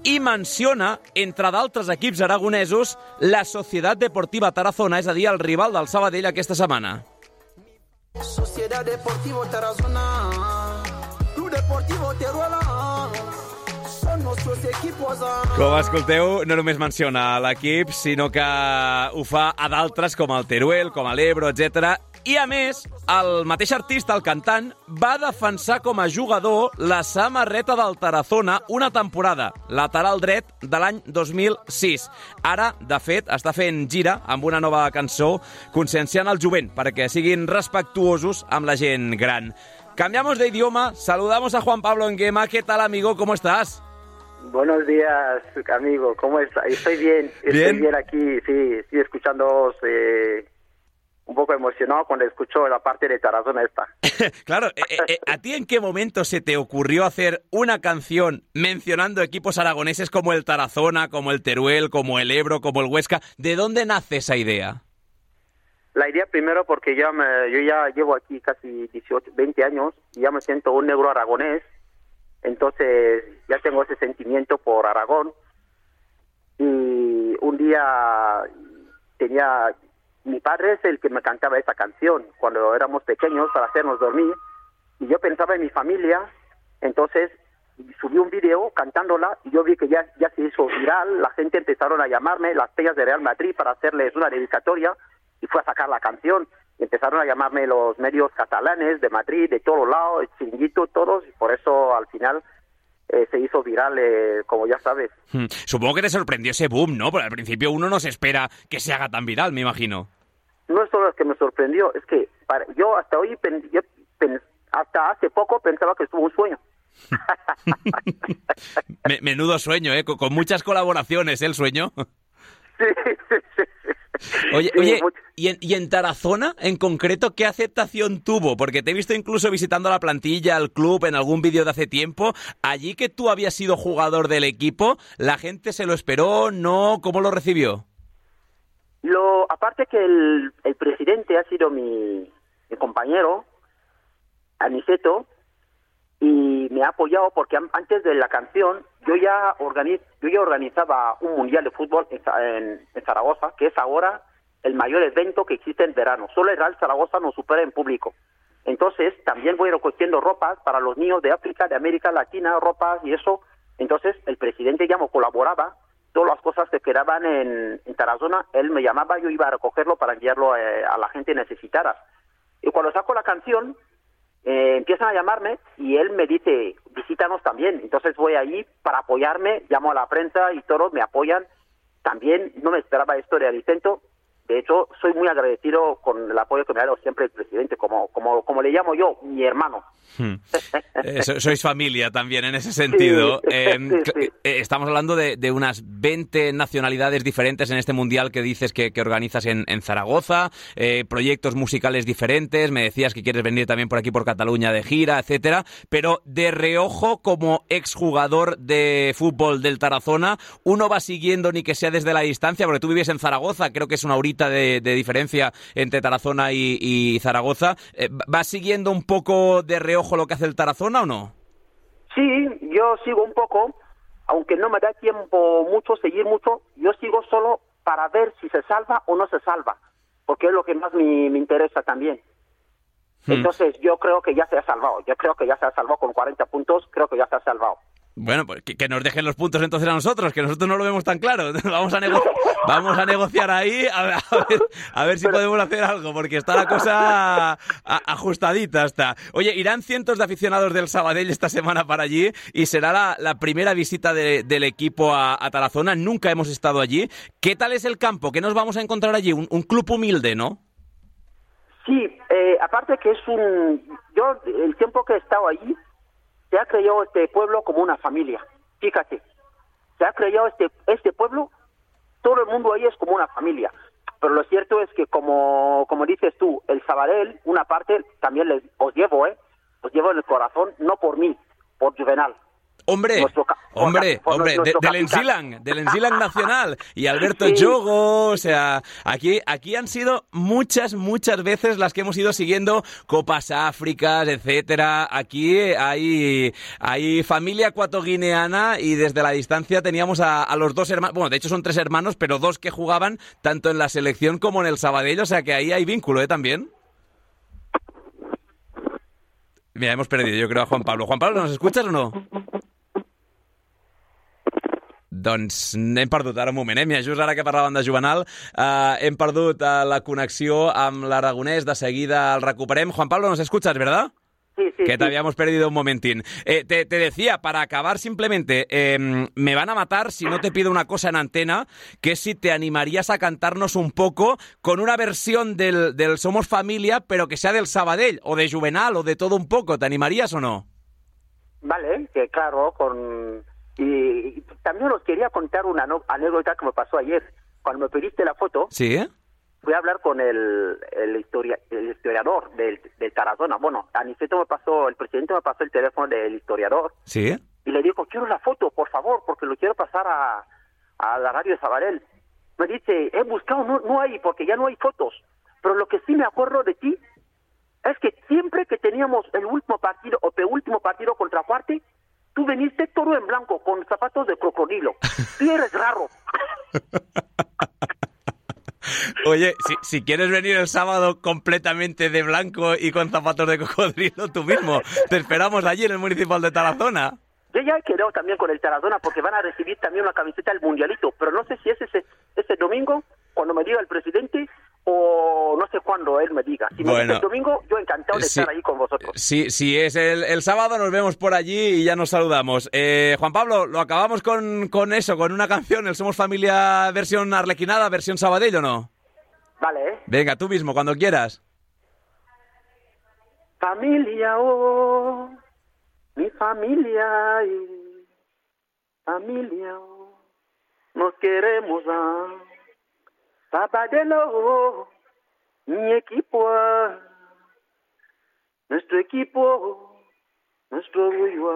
i menciona, entre d'altres equips aragonesos, la Societat Deportiva Tarazona, és a dir, el rival del Sabadell aquesta setmana. Sociedad Deportivo Tarazona, Club Deportivo Teruel, són nostres equipos. Com escolteu, no només menciona l'equip, sinó que ho fa a d'altres com el Teruel, com l'Ebro, etcètera. I, a més, el mateix artista, el cantant, va defensar com a jugador la samarreta del Tarazona una temporada, lateral dret de l'any dos mil sis. Ara, de fet, està fent gira amb una nova cançó conscienciant el jovent perquè siguin respectuosos amb la gent gran. Cambiamos de idioma, saludamos a Juan Pablo Nguema. ¿Qué tal, amigo? ¿Cómo estás? Buenos días, amigo. ¿Cómo está? Estoy bien. Estoy ¿Bien? bien aquí, sí. Estoy escuchando eh, un poco emocionado cuando escucho la parte de Tarazona esta. Claro, eh, eh, ¿a ti en qué momento se te ocurrió hacer una canción mencionando equipos aragoneses como el Tarazona, como el Teruel, como el Ebro, como el Huesca? ¿De dónde nace esa idea? La idea primero porque ya me, yo ya llevo aquí casi dieciocho, veinte años y ya me siento un negro aragonés. Entonces ya tengo ese sentimiento por Aragón. Y un día tenía... Mi padre es el que me cantaba esa canción cuando éramos pequeños para hacernos dormir. Y yo pensaba en mi familia. Entonces subí un video cantándola y yo vi que ya, ya se hizo viral. La gente empezaron a llamarme, las peñas de Real Madrid, para hacerles una dedicatoria. Y fue a sacar la canción. Y empezaron a llamarme los medios catalanes de Madrid, de todos lados, el Chiringuito, todos. Y por eso al final eh, se hizo viral, eh, como ya sabes. Hmm. Supongo que te sorprendió ese boom, ¿no? Porque al principio uno no se espera que se haga tan viral, me imagino. No es solo lo que me sorprendió, es que para, yo hasta hoy, pen, yo, pen, hasta hace poco pensaba que estuvo un sueño. Menudo sueño, ¿eh? Con, con muchas colaboraciones, ¿eh? El sueño. Sí, sí, sí, sí. Oye, Sí, oye mucho. ¿y, en, ¿y en Tarazona, en concreto, qué aceptación tuvo? Porque te he visto incluso visitando la plantilla, el club, en algún vídeo de hace tiempo. Allí que tú habías sido jugador del equipo, ¿la gente se lo esperó? ¿No? ¿Cómo lo recibió? Lo, aparte que el, el presidente ha sido mi, mi compañero, Aniceto, y me ha apoyado porque an- antes de la canción yo ya, organiz, yo ya organizaba un mundial de fútbol en, Za- en, en Zaragoza, que es ahora el mayor evento que existe en verano. Solo el Real Zaragoza nos supera en público. Entonces también voy recogiendo ropas para los niños de África, de América Latina, ropas y eso. Entonces el presidente ya me colaboraba. Todas las cosas que quedaban en, en Tarazona, él me llamaba, yo iba a recogerlo para enviarlo eh, a la gente necesitada. Y cuando saco la canción, eh, empiezan a llamarme y él me dice, visítanos también. Entonces voy ahí para apoyarme, llamo a la prensa y todos me apoyan. También no me esperaba esto de Alicento. De hecho, soy muy agradecido con el apoyo que me ha dado siempre el presidente, como, como, como le llamo yo, mi hermano. Hmm. Eh, so- sois familia también en ese sentido. Sí, Eh, sí, sí. eh, estamos hablando de, de unas veinte nacionalidades diferentes en este mundial que dices que, que organizas en, en Zaragoza, eh, proyectos musicales diferentes, me decías que quieres venir también por aquí por Cataluña de gira, etcétera, pero de reojo como exjugador de fútbol del Tarazona, uno va siguiendo ni que sea desde la distancia, porque tú vives en Zaragoza, creo que es una horita de, de diferencia entre Tarazona y, y Zaragoza, eh, ¿vas siguiendo un poco de reojo lo que hace el Tarazona o no? Sí, yo sigo un poco, aunque no me da tiempo mucho, seguir mucho, yo sigo solo para ver si se salva o no se salva, porque es lo que más me, me interesa también. Hmm. Entonces yo creo que ya se ha salvado, yo creo que ya se ha salvado con cuarenta puntos, creo que ya se ha salvado. Bueno, pues que, que nos dejen los puntos entonces a nosotros, que nosotros no lo vemos tan claro. Vamos a, nego- vamos a negociar ahí a ver, a ver, a ver si podemos hacer algo, porque está la cosa a- ajustadita. Está. Oye, irán cientos de aficionados del Sabadell esta semana para allí y será la, la primera visita de- del equipo a, a Tarazona. Nunca hemos estado allí. ¿Qué tal es el campo? ¿Qué nos vamos a encontrar allí? Un, un club humilde, ¿no? Sí, eh, aparte que es un... Yo, el tiempo que he estado allí, se ha creado este pueblo como una familia. Fíjate, se ha creado este, este pueblo, todo el mundo ahí es como una familia. Pero lo cierto es que, como, como dices tú, el Sabadell, una parte, también les, os llevo, ¿eh? Os llevo en el corazón, no por mí, por Juvenal. Hombre, Nuestro ca- hombre, por hombre, de- nuestro del capitán. Ensilang, del Ensilang Nacional y Alberto Sí. Yogo, o sea, aquí, aquí han sido muchas, muchas veces las que hemos ido siguiendo Copas Áfricas, etcétera. Aquí hay, hay familia ecuatoguineana y desde la distancia teníamos a, a los dos hermanos, bueno, de hecho son tres hermanos, pero dos que jugaban tanto en la selección como en el Sabadell, o sea que ahí hay vínculo, ¿eh? También. Mira, hemos perdido, yo creo, a Juan Pablo. Juan Pablo, ¿nos escuchas o no? Doncs hem perdut, ara un moment, eh? Mira, just ara que parlàvem de Juvenal, eh, hem perdut eh, la connexió amb l'aragonès, de seguida el recuperem. Juan Pablo, ¿nos escuchas, verdad? Sí, sí, Que te sí. habíamos perdido un momentín. Eh, te, te decía, para acabar simplemente, eh, me van a matar si no te pido una cosa en antena, que es si te animarías a cantarnos un poco con una versión del, del Somos Familia, pero que sea del Sabadell, o de Juvenal, o de todo un poco. ¿Te animarías o no? Vale, que claro, con... Y, y también os quería contar una no- anécdota que me pasó ayer. Cuando me pediste la foto, Sí, ¿eh? fui a hablar con el, el, historia, el historiador del, del Tarazona. Bueno, Aniceto me pasó, el presidente me pasó el teléfono del historiador Sí. y le digo, quiero la foto, por favor, porque lo quiero pasar a, a la radio de Sabadell. Me dice, he buscado, no, no hay, porque ya no hay fotos. Pero lo que sí me acuerdo de ti es que siempre que teníamos el último partido o penúltimo partido contra Cuarte, tú viniste todo en blanco, con zapatos de crocodilo. Tú eres raro. Oye, si, si quieres venir el sábado completamente de blanco y con zapatos de cocodrilo, tú mismo. Te esperamos allí en el Municipal de Tarazona. Yo ya he quedado también con el Tarazona porque van a recibir también una camiseta del Mundialito, pero no sé si es ese, ese domingo, cuando me diga el presidente, o no sé cuándo él me diga. Si me Bueno. dice el domingo, yo encantado de Sí. estar ahí con vosotros. Si, si es el, el sábado, nos vemos por allí y ya nos saludamos. Eh, Juan Pablo, lo acabamos con, con eso, con una canción, el Somos Familia versión arlequinada, versión Sabadell, ¿o no? Vale, ¿eh? Venga, tú mismo, cuando quieras. Familia, oh, mi familia, ay, familia, oh, nos queremos, ah. Sabadell, mi equipo, nuestro equipo, nuestro orgullo,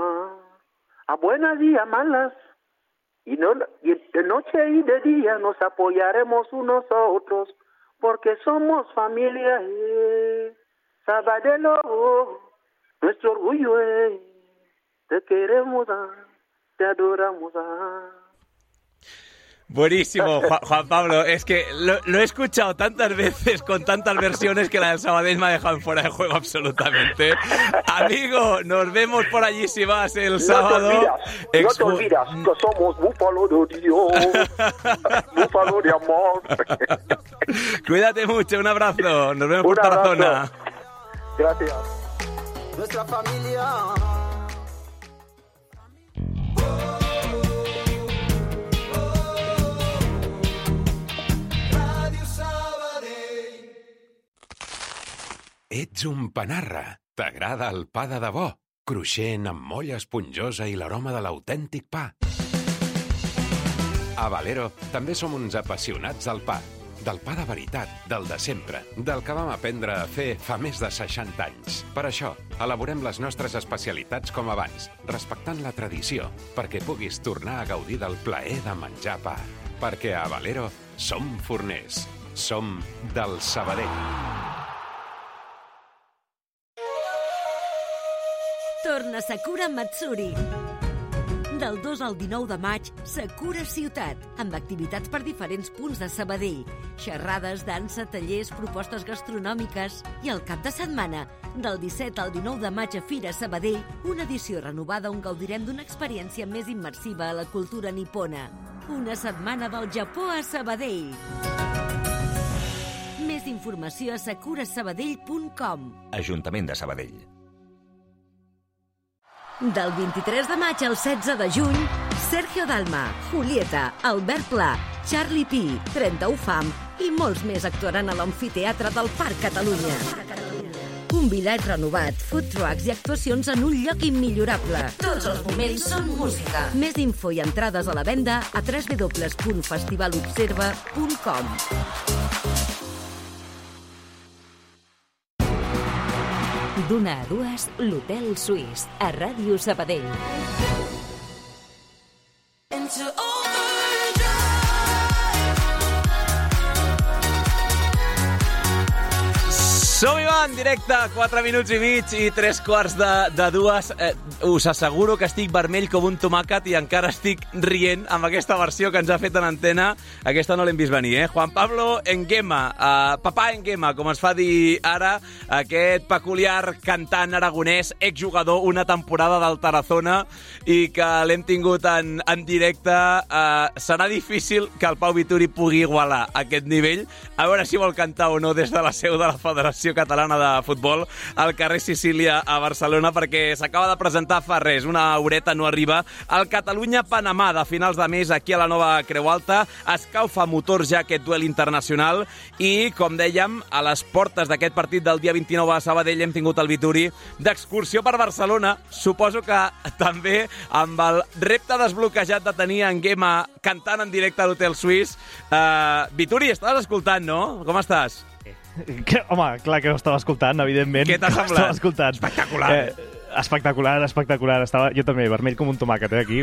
a buenas y a malas, y, no, y de noche y de día nos apoyaremos unos a otros, porque somos familia. Eh. Sabadell, nuestro orgullo, eh. Te queremos, ah, te adoramos. Ah. Buenísimo, Juan, Juan Pablo. Es que lo, lo he escuchado tantas veces con tantas versiones que la del Sabadell me ha dejado fuera de juego absolutamente. Amigo, nos vemos por allí si vas el sábado. No te olvidas, Expo... no te olvidas que somos búfalo de Dios, búfalo de amor. Cuídate mucho, un abrazo. Nos vemos un por Tarazona. Gracias. Nuestra familia. Ets un panarra. T'agrada el pa de debò, cruixent amb molla esponjosa i l'aroma de l'autèntic pa. A Valero també som uns apassionats del pa. Del pa de veritat, del de sempre, del que vam aprendre a fer fa més de seixanta anys. Per això, elaborem les nostres especialitats com abans, respectant la tradició, perquè puguis tornar a gaudir del plaer de menjar pa. Perquè a Valero som forners. Som del Sabadell. Torna Sakura Matsuri. Del dos al dinou de maig, Sakura Ciutat, amb activitats per diferents punts de Sabadell, xerrades, dansa, tallers, propostes gastronòmiques i el cap de setmana, del disset al dinou de maig a Fira Sabadell, una edició renovada on gaudirem d'una experiència més immersiva a la cultura nipona. Una setmana del Japó a Sabadell. Més informació a sakura sabadell punt com. Ajuntament de Sabadell. Del vint-i-tres de maig al setze de juny, Sergio Dalma, Julieta, Albert Pla, Charlie Pi, trenta-u Fam i molts més actuaran a l'amfiteatre del Parc Catalunya. Un bitllet renovat, food trucks i actuacions en un lloc immillorable. Tots els moments són música. Més info i entrades a la venda a w w w punt festivalobserva punt com. D'una a dues, l'Hotel Suís, a Ràdio Sabadell. Som-hi, va, en directe, quatre minuts i mig i tres quarts de, de dues. Eh, us asseguro que estic vermell com un tomàquet i encara estic rient amb aquesta versió que ens ha fet en antena. Aquesta no l'hem vist venir, eh? Juan Pablo Nguema, eh, papà Nguema, com es fa dir ara, aquest peculiar cantant aragonès, exjugador una temporada del Tarazona i que l'hem tingut en, en directe. Eh, serà difícil que el Pau Vituri pugui igualar aquest nivell. A veure si vol cantar o no des de la seu de la Federació Catalana de Futbol al carrer Sicília a Barcelona, perquè s'acaba de presentar fa res, una horeta no arriba, el Catalunya-Panamà de finals de mes aquí a la nova Creu Alta. Escaufa motors ja aquest duel internacional i, com dèiem, a les portes d'aquest partit del dia vint-i-nou a Sabadell hem tingut el Vituri d'excursió per Barcelona. Suposo que també amb el repte desbloquejat de tenir en Nguema cantant en directe a l'Hotel Suís. Uh, Vituri, estàs escoltant, no? Com estàs? Que, home, clar que ho estava escoltant, evidentment. Què t'ha semblat? Escoltant. Espectacular. Eh, espectacular, espectacular. Estava jo també vermell com un tomàquet, eh, aquí.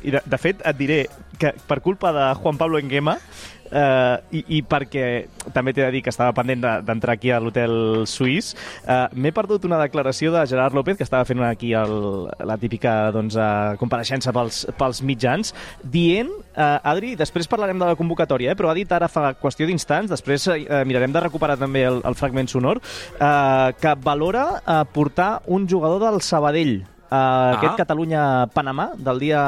I de, de fet, et diré que per culpa de Juan Pablo Nguema, Uh, i, i perquè també t'he de dir que estava pendent d'entrar aquí a l'Hotel Suís, uh, m'he perdut una declaració de Gerard López, que estava fent aquí el, la típica doncs, uh, compareixença pels, pels mitjans, dient, uh, Adri, després parlarem de la convocatòria, eh, però ha dit ara fa qüestió d'instants, després uh, mirarem de recuperar també el, el fragment sonor, uh, que valora uh, portar un jugador del Sabadell, uh, ah. aquest Catalunya-Panamà del dia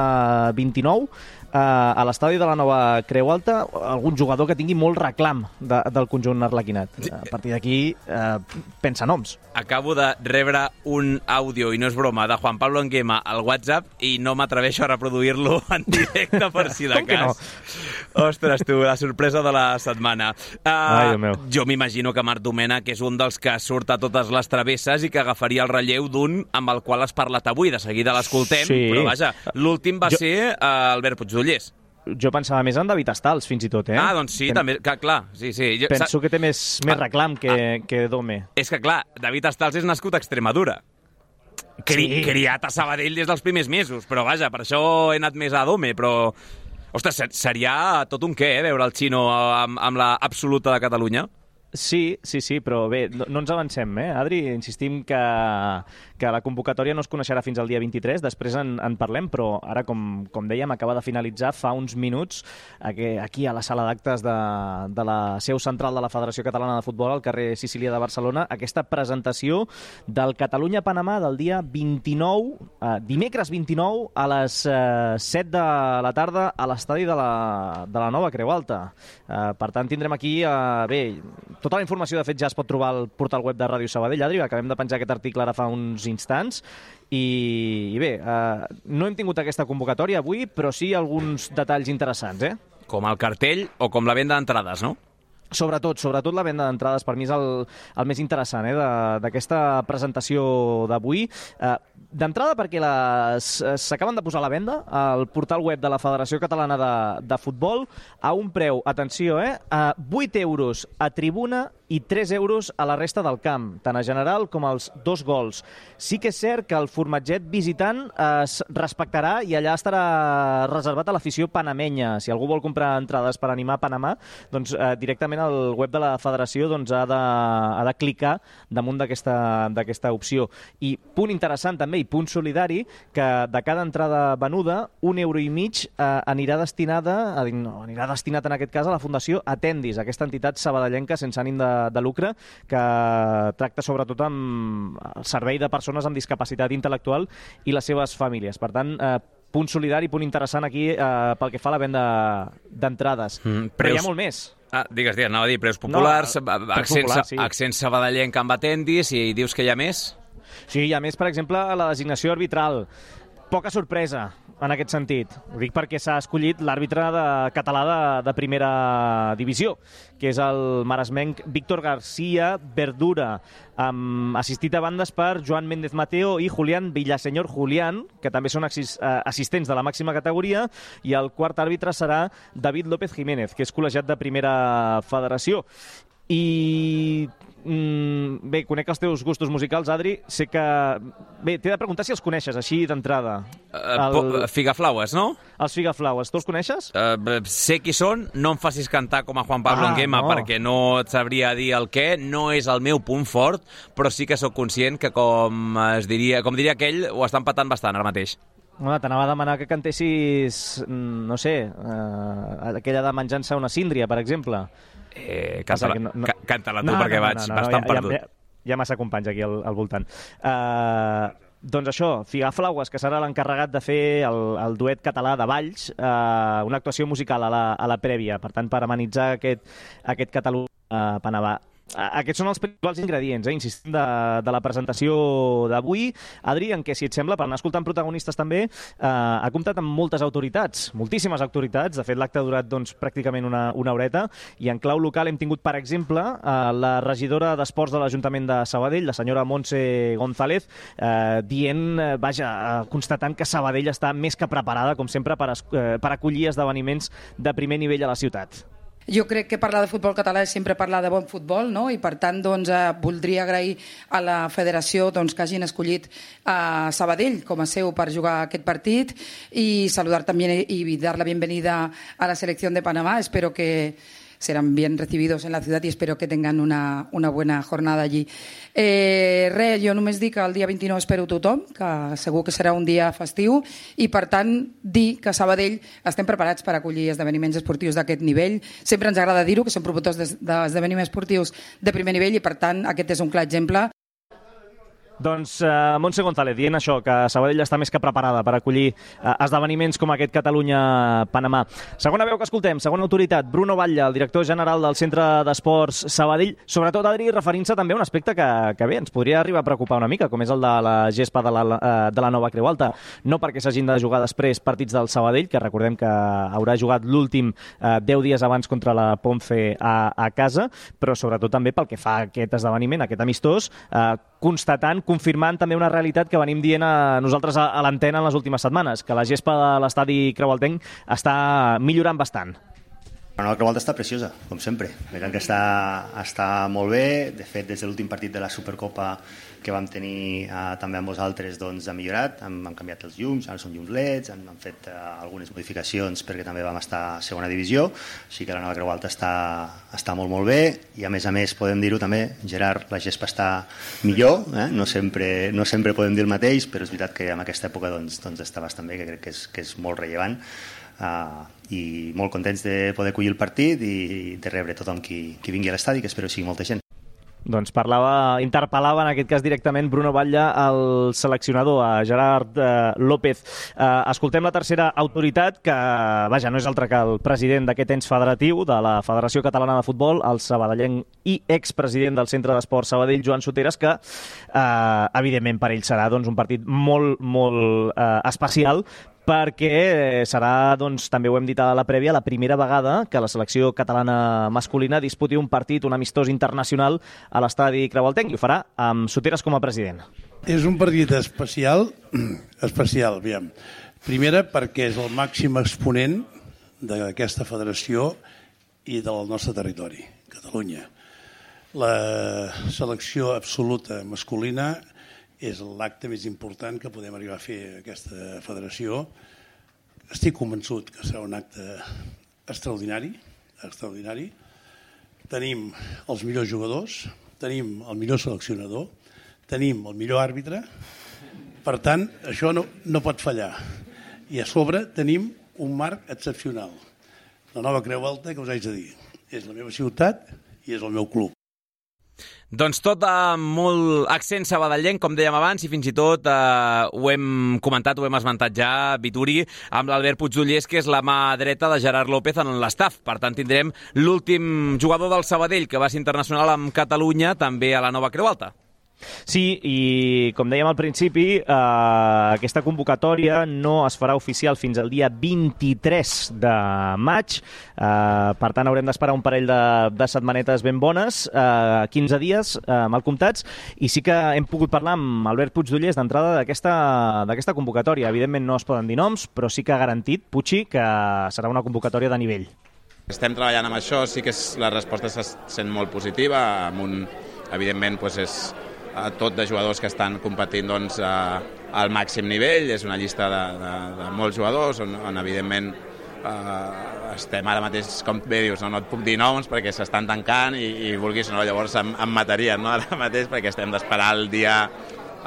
vint-i-nou, Uh, a l'estadi de la nova Creu Alta, algun jugador que tingui molt reclam de, del conjunt arlequinat. A partir d'aquí, uh, pensa noms. Acabo de rebre un àudio, i no és broma, de Juan Pablo Nguema al WhatsApp i no m'atreveixo a reproduir-lo en directe per si de cas. No? Ostres, tu, la sorpresa de la setmana. Uh, Ai, jo m'imagino que Marc Domènech, que és un dels que surt a totes les travesses i que agafaria el relleu d'un amb el qual has parlat avui. De seguida l'escoltem, sí. Però vaja, l'últim va jo... ser uh, Albert Puigdollers. jo pensava més en David Estals, fins i tot, eh? Ah, doncs sí, Pen... també, que, clar, sí, sí. Jo, Penso que té més, més ah, reclam que, ah, que Dome. És que, clar, David Estals és nascut a Extremadura. Cri, sí. Criat a Sabadell des dels primers mesos, però vaja, per això he anat més a Dome, però... Ostres, seria tot un què, eh, veure el Xino amb, amb la absoluta de Catalunya? Sí, sí, sí, però bé, no, no ens avancem, eh, Adri? Insistim que, que la convocatòria no es coneixerà fins al dia vint-i-tres, després en, en parlem, però ara, com, com dèiem, acaba de finalitzar fa uns minuts aquí, aquí a la sala d'actes de, de la seu central de la Federació Catalana de Futbol, al carrer Sicília de Barcelona, aquesta presentació del Catalunya-Panamà del dia vint-i-nou, eh, dimecres vint-i-nou, a les eh, set de la tarda a l'estadi de, la, de la Nova Creu Alta. Eh, per tant, tindrem aquí, eh, bé, tota la informació, de fet, ja es pot trobar al portal web de Ràdio Sabadell. Adri, acabem de penjar aquest article ara fa uns instants. I, i bé, eh, no hem tingut aquesta convocatòria avui, però sí alguns detalls interessants, eh? Com el cartell o com la venda d'entrades, no? Sobretot, sobretot la venda d'entrades, per mi és el, el més interessant, eh, d'aquesta presentació d'avui. Eh, D'entrada perquè s'acaben de posar a la venda al portal web de la Federació Catalana de, de Futbol a un preu, atenció, eh, a vuit euros a tribuna i tres euros a la resta del camp, tant a general com als dos gols. Sí que és cert que el formatget visitant es respectarà i allà estarà reservat a l'afició panamenya. Si algú vol comprar entrades per animar Panamà, doncs eh, directament al web de la Federació doncs, ha, de, ha de clicar damunt d'aquesta opció. I punt interessant també, i punt solidari, que de cada entrada venuda, un euro i mig eh, anirà destinada, no, anirà destinat en aquest cas a la Fundació Atendis, aquesta entitat sabadellenca sense ànim de, de lucre que tracta sobretot amb el servei de persones amb discapacitat intel·lectual i les seves famílies. Per tant, eh, punt solidari, punt interessant aquí eh, pel que fa a la venda d'entrades. Mm, preus... Però hi ha molt més. Ah, digues, digues, anava a dir preus populars, no, accent, popular, sí. accent sabadellenc amb Atendis, i dius que hi ha més? Sí, hi ha més, per exemple, a la designació arbitral. Poca sorpresa en aquest sentit. Ho dic perquè s'ha escollit l'àrbitre de, català de, de primera divisió, que és el maresmenc Víctor García Verdura, amb, assistit a bandes per Joan Méndez Mateo i Julián Villaseñor Julián, que també són assistents de la màxima categoria, i el quart àrbitre serà David López Jiménez, que és col·legiat de primera federació. I mm, bé, conec els teus gustos musicals, Adri. Sé que... Bé, t'he de preguntar si els coneixes, així d'entrada. Uh, el... Figaflaues, no? Els Figaflaues. Tu els coneixes? Uh, sé qui són. No em facis cantar com a Juan Pablo ah, Nguema, no. perquè no et sabria dir el què. No és el meu punt fort, però sí que sóc conscient que, com es diria, com diria aquell, ho estan patant bastant ara mateix. Home, t'anava a demanar que cantessis, no sé, uh, aquella de Menjant-se una síndria, per exemple. Eh, canta-la no, no, canta-la tu, no, perquè no, no, vaig no, no, bastant ja, perdut. Ja, ja, hi ha massa companys aquí al, al voltant. Uh, doncs això, Figaflaues, que serà l'encarregat de fer el, el duet català de Valls, uh, una actuació musical a la, a la prèvia, per tant, per amenitzar aquest, aquest Catalunya-Panamà. Aquests són els principals ingredients, eh, insistim, de, de la presentació d'avui. Adri, en què, si et sembla, per anar escoltant protagonistes també, eh, ha comptat amb moltes autoritats, moltíssimes autoritats. De fet, l'acte ha durat doncs, pràcticament una, una horeta, i en clau local hem tingut, per exemple, eh, la regidora d'Esports de l'Ajuntament de Sabadell, la senyora Montse González, eh, dient, eh, vaja, eh, constatant que Sabadell està més que preparada, com sempre, per, eh, per acollir esdeveniments de primer nivell a la ciutat. Jo crec que parlar de futbol català és sempre parlar de bon futbol, no? I per tant doncs, eh, voldria agrair a la federació doncs, que hagin escollit a Sabadell com a seu per jugar aquest partit, i saludar també i dar la bienvenida a la selección de Panamá. Espero que serán bien recibidos en la ciudad y espero que tengan una, una buena jornada allí. Eh, res, jo només dic que el dia vint-i-nou espero tothom, que segur que serà un dia festiu, i per tant dir que a Sabadell estem preparats per acollir esdeveniments esportius d'aquest nivell. Sempre ens agrada dir-ho, que som promotors d'esdeveniments esportius de primer nivell, i per tant aquest és un clar exemple. Doncs uh, Montse González dient això, que Sabadell està més que preparada per acollir uh, esdeveniments com aquest Catalunya-Panamà. Segona veu que escoltem, segona autoritat, Bruno Batlle, el director general del Centre d'Esports Sabadell, sobretot, Adri, referint-se també a un aspecte que, que bé, ens podria arribar a preocupar una mica, com és el de la gespa de la, uh, de la Nova Creu Alta. No perquè s'hagin de jugar després partits del Sabadell, que recordem que haurà jugat l'últim uh, deu dies abans contra la Ponce a, a casa, però sobretot també pel que fa a aquest esdeveniment, aquest amistós, uh, constatant, confirmant també una realitat que venim dient a nosaltres a l'antena en les últimes setmanes, que la gespa de l'estadi Creualtenc està millorant bastant. La nova Creualta està preciosa, com sempre. Veiem que està, està molt bé. De fet, des de l'últim partit de la Supercopa que vam tenir eh, també amb vosaltres, doncs ha millorat. Hem, hem canviat els llums, ara són llums L E Ds, hem, hem fet eh, algunes modificacions perquè també vam estar a segona divisió. Així que la nova Creualta està, està molt, molt bé. I a més a més, podem dir-ho també, Gerard, la gespa està millor. Eh? No, sempre, no sempre podem dir el mateix, però és veritat que en aquesta època doncs, doncs està bastant bé, que crec que és, que és molt rellevant. Uh, i molt contents de poder acollir el partit i de rebre tothom qui, qui vingui a l'estadi, que espero que sigui molta gent. Doncs parlava, interpel·lava en aquest cas directament Bruno Batlle, el seleccionador, a Gerard eh, López. Eh, escoltem la tercera autoritat, que vaja, no és altra que el president d'aquest ens federatiu de la Federació Catalana de Futbol, el sabadellenc i expresident del Centre d'Esport Sabadell, Joan Soteres, que eh, evidentment per ell serà doncs, un partit molt, molt eh, especial, perquè serà, doncs, també ho hem dit a la prèvia, la primera vegada que la selecció catalana masculina disputi un partit, un amistós internacional a l'estadi Creualtenc, i ho farà amb Soteres com a president. És un partit especial, especial, aviam. Primera, perquè és el màxim exponent d'aquesta federació i del nostre territori, Catalunya. La selecció absoluta masculina és l'acte més important que podem arribar a fer aquesta federació. Estic convençut que serà un acte extraordinari, extraordinari. Tenim els millors jugadors, tenim el millor seleccionador, tenim el millor àrbitre. Per tant, això no, no pot fallar. I a sobre tenim un marc excepcional. La nova Creualta, que us haig de dir, és la meva ciutat i és el meu club. Doncs tot amb molt accent sabadellenc, com dèiem abans, i fins i tot eh, ho hem comentat, ho hem esmentat ja, Vituri, amb l'Albert Puigdollers, que és la mà dreta de Gerard López en l'estaf. Per tant, tindrem l'últim jugador del Sabadell que va ser internacional amb Catalunya, també a la nova Creualta. Sí, i com dèiem al principi, eh, aquesta convocatòria no es farà oficial fins al dia vint-i-tres de maig, eh, per tant haurem d'esperar un parell de, de setmanetes ben bones, eh, quinze dies eh, mal comptats, i sí que hem pogut parlar amb Albert Puigdollers d'entrada d'aquesta d'aquesta convocatòria. Evidentment no es poden dir noms, però sí que ha garantit, Puigdi, que serà una convocatòria de nivell. Estem treballant amb això, sí que és, la resposta se sent molt positiva, amb un, evidentment doncs és a tot de jugadors que estan competint doncs, a, al màxim nivell. És una llista de, de, de molts jugadors on, on evidentment eh, estem ara mateix, com bé dius, no, no et puc dir noms perquè s'estan tancant i, i vulguis o no, llavors em, em matarien, no, ara mateix, perquè estem d'esperar el dia,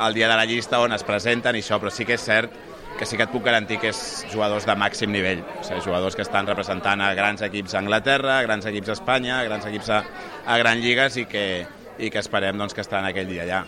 el dia de la llista on es presenten i això, però sí que és cert que sí que et puc garantir que és jugadors de màxim nivell, o sigui, jugadors que estan representant a grans equips a Anglaterra, a grans equips a Espanya, a grans equips a, a grans lligues i que i que esperem doncs, que estaran aquell dia allà.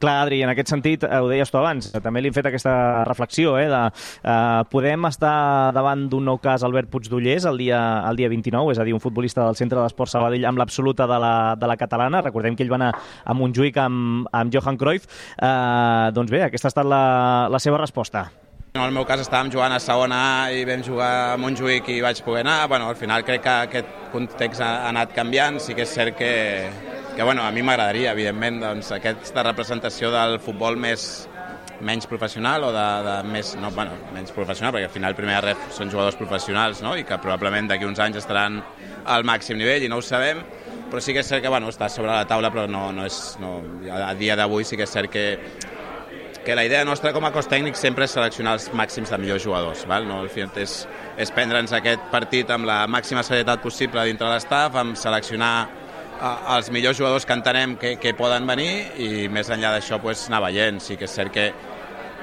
Clar, Adri, en aquest sentit, ho deies tu abans, també li hem fet aquesta reflexió, eh, de eh, podem estar davant d'un nou cas Albert Puigdollers el dia, el dia vint-i-nou, és a dir, un futbolista del Centre d'Esport Sabadell amb l'absoluta de la, de la catalana. Recordem que ell va anar a Montjuïc amb, amb Johan Cruyff. Eh, doncs bé, aquesta ha estat la, la seva resposta. En el meu cas estàvem jugant a segona A i vam jugar a Montjuïc i vaig poder anar. Bueno, al final crec que aquest context ha anat canviant. Sí que és cert que, que bueno, a mi m'agradaria, evidentment, doncs, aquesta representació del futbol més, menys professional o de, de més, no, bueno, menys professional, perquè al final primer de res són jugadors professionals, no? I que probablement d'aquí uns anys estaran al màxim nivell i no ho sabem, però sí que és cert que bueno, està sobre la taula, però no, no és, no, a dia d'avui sí que és cert que que la idea nostra com a cos tècnic sempre és seleccionar els màxims de millors jugadors. Val? No, al final és, és prendre'ns aquest partit amb la màxima serietat possible dintre de l'estaf, amb seleccionar uh, els millors jugadors que entenem que, que poden venir i més enllà d'això pues, anar veient. Sí que és cert que,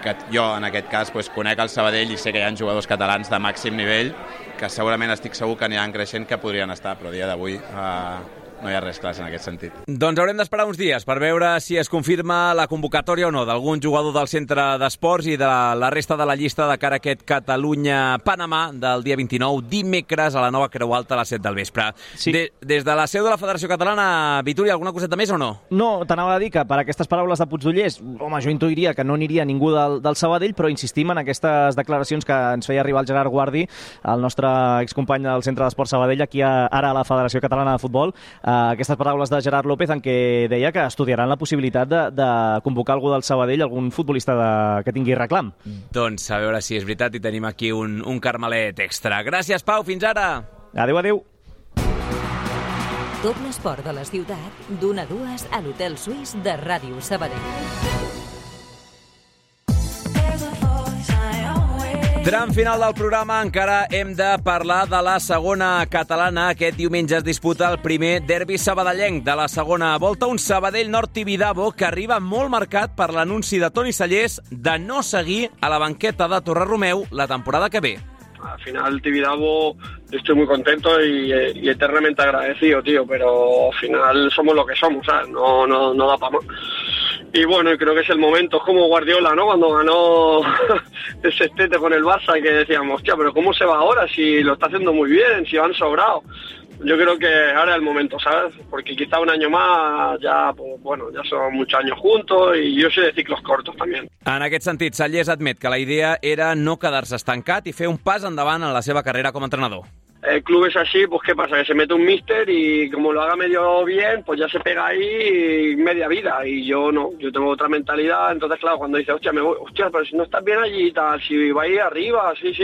que jo en aquest cas pues, conec el Sabadell i sé que hi ha jugadors catalans de màxim nivell que segurament estic segur que aniran creixent que podrien estar, però a dia d'avui uh, no hi ha res clar en aquest sentit. Doncs haurem d'esperar uns dies per veure si es confirma la convocatòria o no d'algun jugador del Centre d'Esports i de la, la resta de la llista de cara a aquest Catalunya-Panamà del dia vint-i-nou, dimecres a la nova Creualta a les set del vespre. Sí. De, des de la seu de la Federació Catalana, Vituri, alguna coseta més o no? No, t'anava a dir que per aquestes paraules de Puigdollers, home, jo intuiria que no aniria ningú del, del Sabadell, però insistim en aquestes declaracions que ens feia arribar el Gerard Guardi, el nostre excompany del Centre d'Esports Sabadell, aquí a, ara a la Federació Catalana de Futbol, aquestes paraules de Gerard López en què deia que estudiaran la possibilitat de, de convocar algú del Sabadell, algun futbolista de, que tingui reclam. Doncs a veure si és veritat i tenim aquí un, un carmelet extra. Gràcies, Pau, fins ara! Adéu, adéu! Tot l'esport de la ciutat, d'una a dues a l'Hotel Suís de Ràdio Sabadell. Tram final del programa, encara hem de parlar de la segona catalana. Aquest diumenge es disputa el primer derbi sabadellenc de la segona volta, un Sabadell Nord Tibidabo que arriba molt marcat per l'anunci de Toni Cellers de no seguir a la banqueta de Torreromeu la temporada que ve. Al final, Tibidabo, estoy muy contento y, y eternamente agradecido, tío, pero al final somos lo que somos, ¿sabes? No, no, no da para más. Y bueno, creo que es el momento, es como Guardiola, ¿no? Cuando ganó el sextete con el Barça, que decíamos, hostia, pero ¿cómo se va ahora si lo está haciendo muy bien, si van sobrados? Yo creo que ahora es el momento, ¿sabes? Porque quizá un año más, ya, pues, bueno, ya son muchos años juntos y yo soy de ciclos cortos también. En aquest sentit, Cellers admet que la idea era no quedar-se estancat i fer un pas endavant en la seva carrera com a entrenador. El club es así, pues ¿qué pasa? Que se mete un míster y como lo haga medio bien, pues ya se pega ahí media vida. Y yo no, yo tengo otra mentalidad. Entonces, claro, cuando dice, hostia, me voy, hostia, pero si no estás bien allí y tal, si va ahí arriba, sí, sí.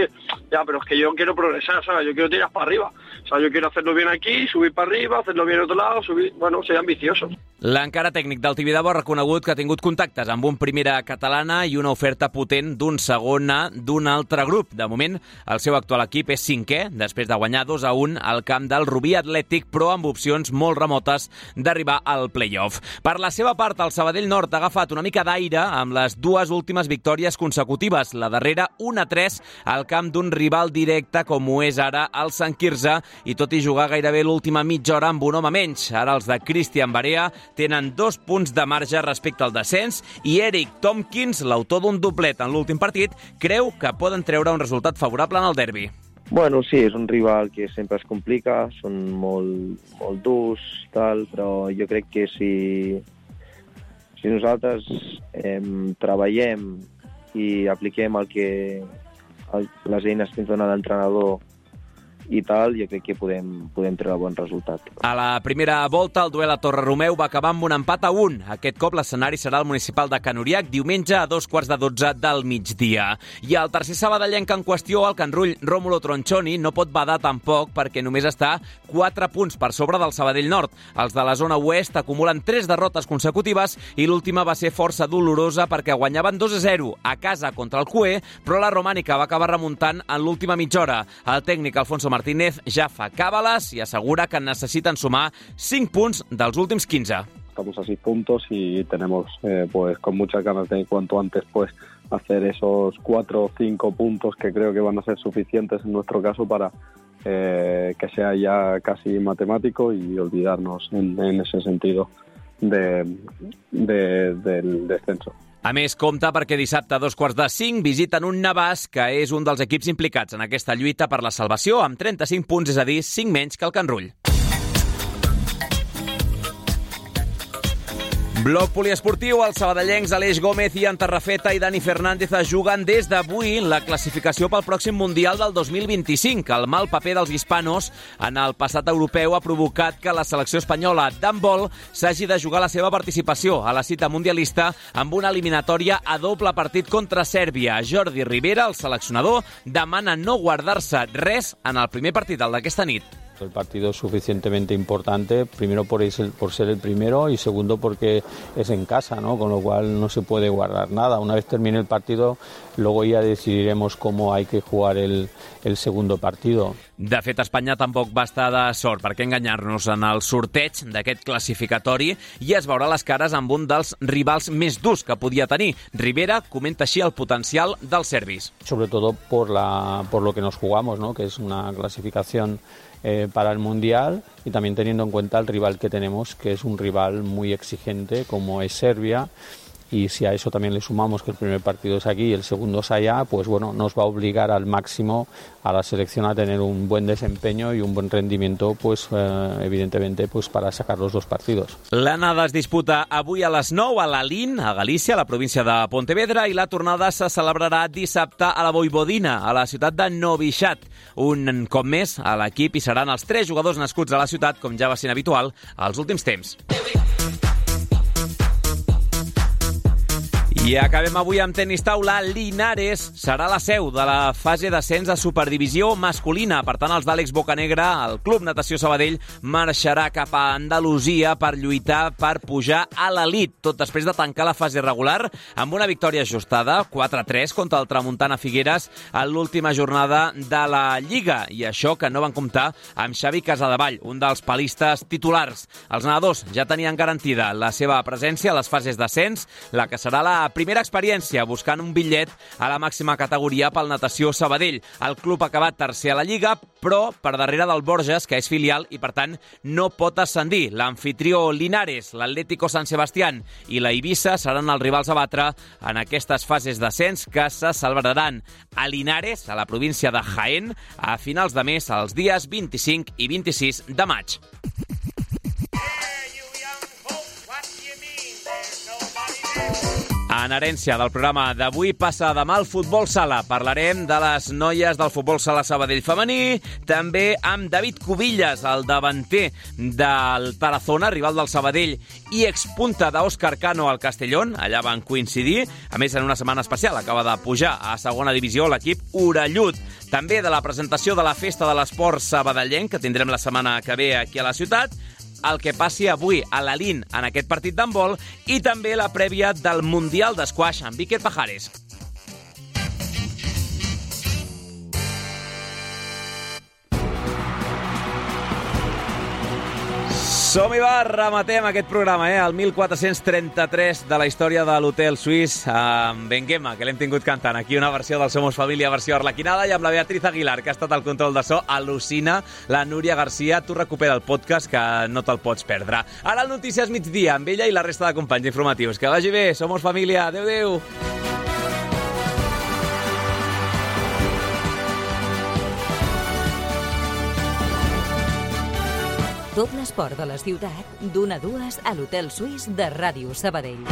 Ya, pero es que yo quiero progresar, ¿sabes? Yo quiero tirar para arriba. O sea, yo quiero hacerlo bien aquí, subir para arriba, hacerlo bien en otro lado, subir, bueno, ser ambicioso. L'encara tècnic del Tibidabo ha reconegut que ha tingut contactes amb un primera catalana i una oferta potent d'un segona d'un altre grup. De moment, el seu actual equip és cinquè, després de guanyar dos a un al camp del Rubí Atlètic, però amb opcions molt remotes d'arribar al play-off. Per la seva part, el Sabadell Nord ha agafat una mica d'aire amb les dues últimes victòries consecutives. La darrera, un a tres, al camp d'un rival directe com ho és ara el Sant Quirze, i tot i jugar gairebé l'última mitja hora amb un home menys. Ara els de Cristian Barea tenen dos punts de marge respecte al descens i Eric Tompkins, l'autor d'un doblet en l'últim partit, creu que poden treure un resultat favorable en el derbi. Bueno, sí, és un rival que sempre es complica, són molt, molt durs, tal, però jo crec que si, si nosaltres eh, treballem i apliquem el que, el, les eines que ens dona l'entrenador i tal, jo crec que podem, podem treure bon resultat. A la primera volta, el duel a Torreromeu va acabar amb un empat a un. Aquest cop l'escenari serà el municipal de Can-Uriac, diumenge a dos quarts de dotze del migdia. I el tercer sabadellenc en qüestió, el Can Rull Rómulo Tronchoni, no pot badar tampoc perquè només està quatre punts per sobre del Sabadell Nord. Els de la zona oest acumulen tres derrotes consecutives i l'última va ser força dolorosa perquè guanyaven dos a zero a casa contra el Cué, però la romànica va acabar remuntant en l'última mitja hora. El tècnic Alfonso Martínez ja fa càbales i assegura que necesiten sumar cinc punts dels últims quinze. Estamos a seis puntos y tenemos eh, pues con muchas ganas de cuanto antes pues hacer esos cuatro o cinco puntos que creo que van a ser suficientes en nuestro caso para eh, que sea ya casi matemático y olvidarnos en, en ese sentido de, de, del descenso. A més, compta perquè dissabte a dos quarts de cinc visiten un Navàs, que és un dels equips implicats en aquesta lluita per la salvació, amb trenta-cinc punts, és a dir, cinc menys que el Can Rull. Bloc poliesportiu, els sabadellencs Aleix Gómez, Ian Tarrafeta i Dani Fernández juguen des d'avui la classificació pel pròxim Mundial del dos mil vint-i-cinc. El mal paper dels hispanos en el passat europeu ha provocat que la selecció espanyola d'handbol s'hagi de jugar la seva participació a la cita mundialista amb una eliminatòria a doble partit contra Sèrbia. Jordi Rivera, el seleccionador, demana no guardar-se res en el primer partit, el d'aquesta nit. El partido es suficientemente importante, primero por, ese, por ser el primero y segundo porque es en casa, ¿no? Con lo cual no se puede guardar nada. Una vez termine el partido, luego ya decidiremos cómo hay que jugar el, el segundo partido. De fet, Espanya tampoc va estar de sort perquè enganyar-nos en el sorteig d'aquest classificatori i es veurà les cares amb un dels rivals més durs que podia tenir. Rivera comenta així el potencial dels serbis. Sobre todo por, la, por lo que nos jugamos, ¿no? Que es una clasificación Eh, para el Mundial y también teniendo en cuenta el rival que tenemos, que es un rival muy exigente como es Serbia y si a eso también le sumamos que el primer partido es aquí y el segundo es allá, pues bueno, nos va a obligar al máximo a la selección a tener un buen desempeño y un buen rendimiento, pues eh, evidentemente pues para sacar los dos partidos. L'anada es disputa avui a les nou a l'Alín, a Galícia, a la província de Pontevedra, i la tornada se celebrarà dissabte a la Voivodina, a la ciutat de Novi Sad. Un cop més a l'equip hi seran els tres jugadors nascuts a la ciutat, com ja va ser habitual als últims temps. I acabem avui amb tenis taula. Linares serà la seu de la fase d'ascens a Superdivisió masculina. Per tant, els d'Àlex Bocanegra, el Club Natació Sabadell, marxarà cap a Andalusia per lluitar per pujar a l'elit, tot després de tancar la fase regular amb una victòria ajustada, quatre a tres, contra el Tramuntana Figueres en l'última jornada de la Lliga. I això que no van comptar amb Xavi Casadevall, un dels palistes titulars. Els nedadors ja tenien garantida la seva presència a les fases d'ascens, la que serà la primera experiència buscant un bitllet a la màxima categoria pel Natació Sabadell. El club ha acabat tercer a la Lliga, però per darrere del Borges, que és filial i per tant no pot ascendir. L'anfitrió Linares, l'Atlético San Sebastián i la Eivissa seran els rivals a batre en aquestes fases d'ascens que se celebraran a Linares, a la província de Jaén, a finals de mes, els dies vint-i-cinc i vint-i-sis de maig. En herència del programa d'avui passa demà el futbol sala. Parlarem de les noies del futbol sala Sabadell femení, també amb David Cubillas, el davanter del Tarazona, rival del Sabadell i expunta d'Òscar Cano al Castellón. Allà van coincidir. A més, en una setmana especial acaba de pujar a segona divisió l'equip orellut. També de la presentació de la Festa de l'Esport sabadellenc, que tindrem la setmana que ve aquí a la ciutat, el que passi avui a l'Alín en aquest partit d'handbol i també la prèvia del Mundial d'Esquaix amb Víquer Pajares. Som-hi, va, rematem aquest programa, eh? El mil quatre-cents trenta-tres de la història de l'Hotel Suís amb Benguema, que l'hem tingut cantant. Aquí una versió del Somos Família, versió arlequinada, i amb la Beatriz Aguilar, que ha estat al control de so. Al·lucina. La Núria Garcia, tu recupera el podcast, que no te'l pots perdre. Ara el Notícies Migdia, amb ella i la resta de companys informatius. Que vagi bé, Somos Família. Adéu, adéu. Tot l'esport de la ciutat, d'una a dues a l'Hotel Suís de Ràdio Sabadell.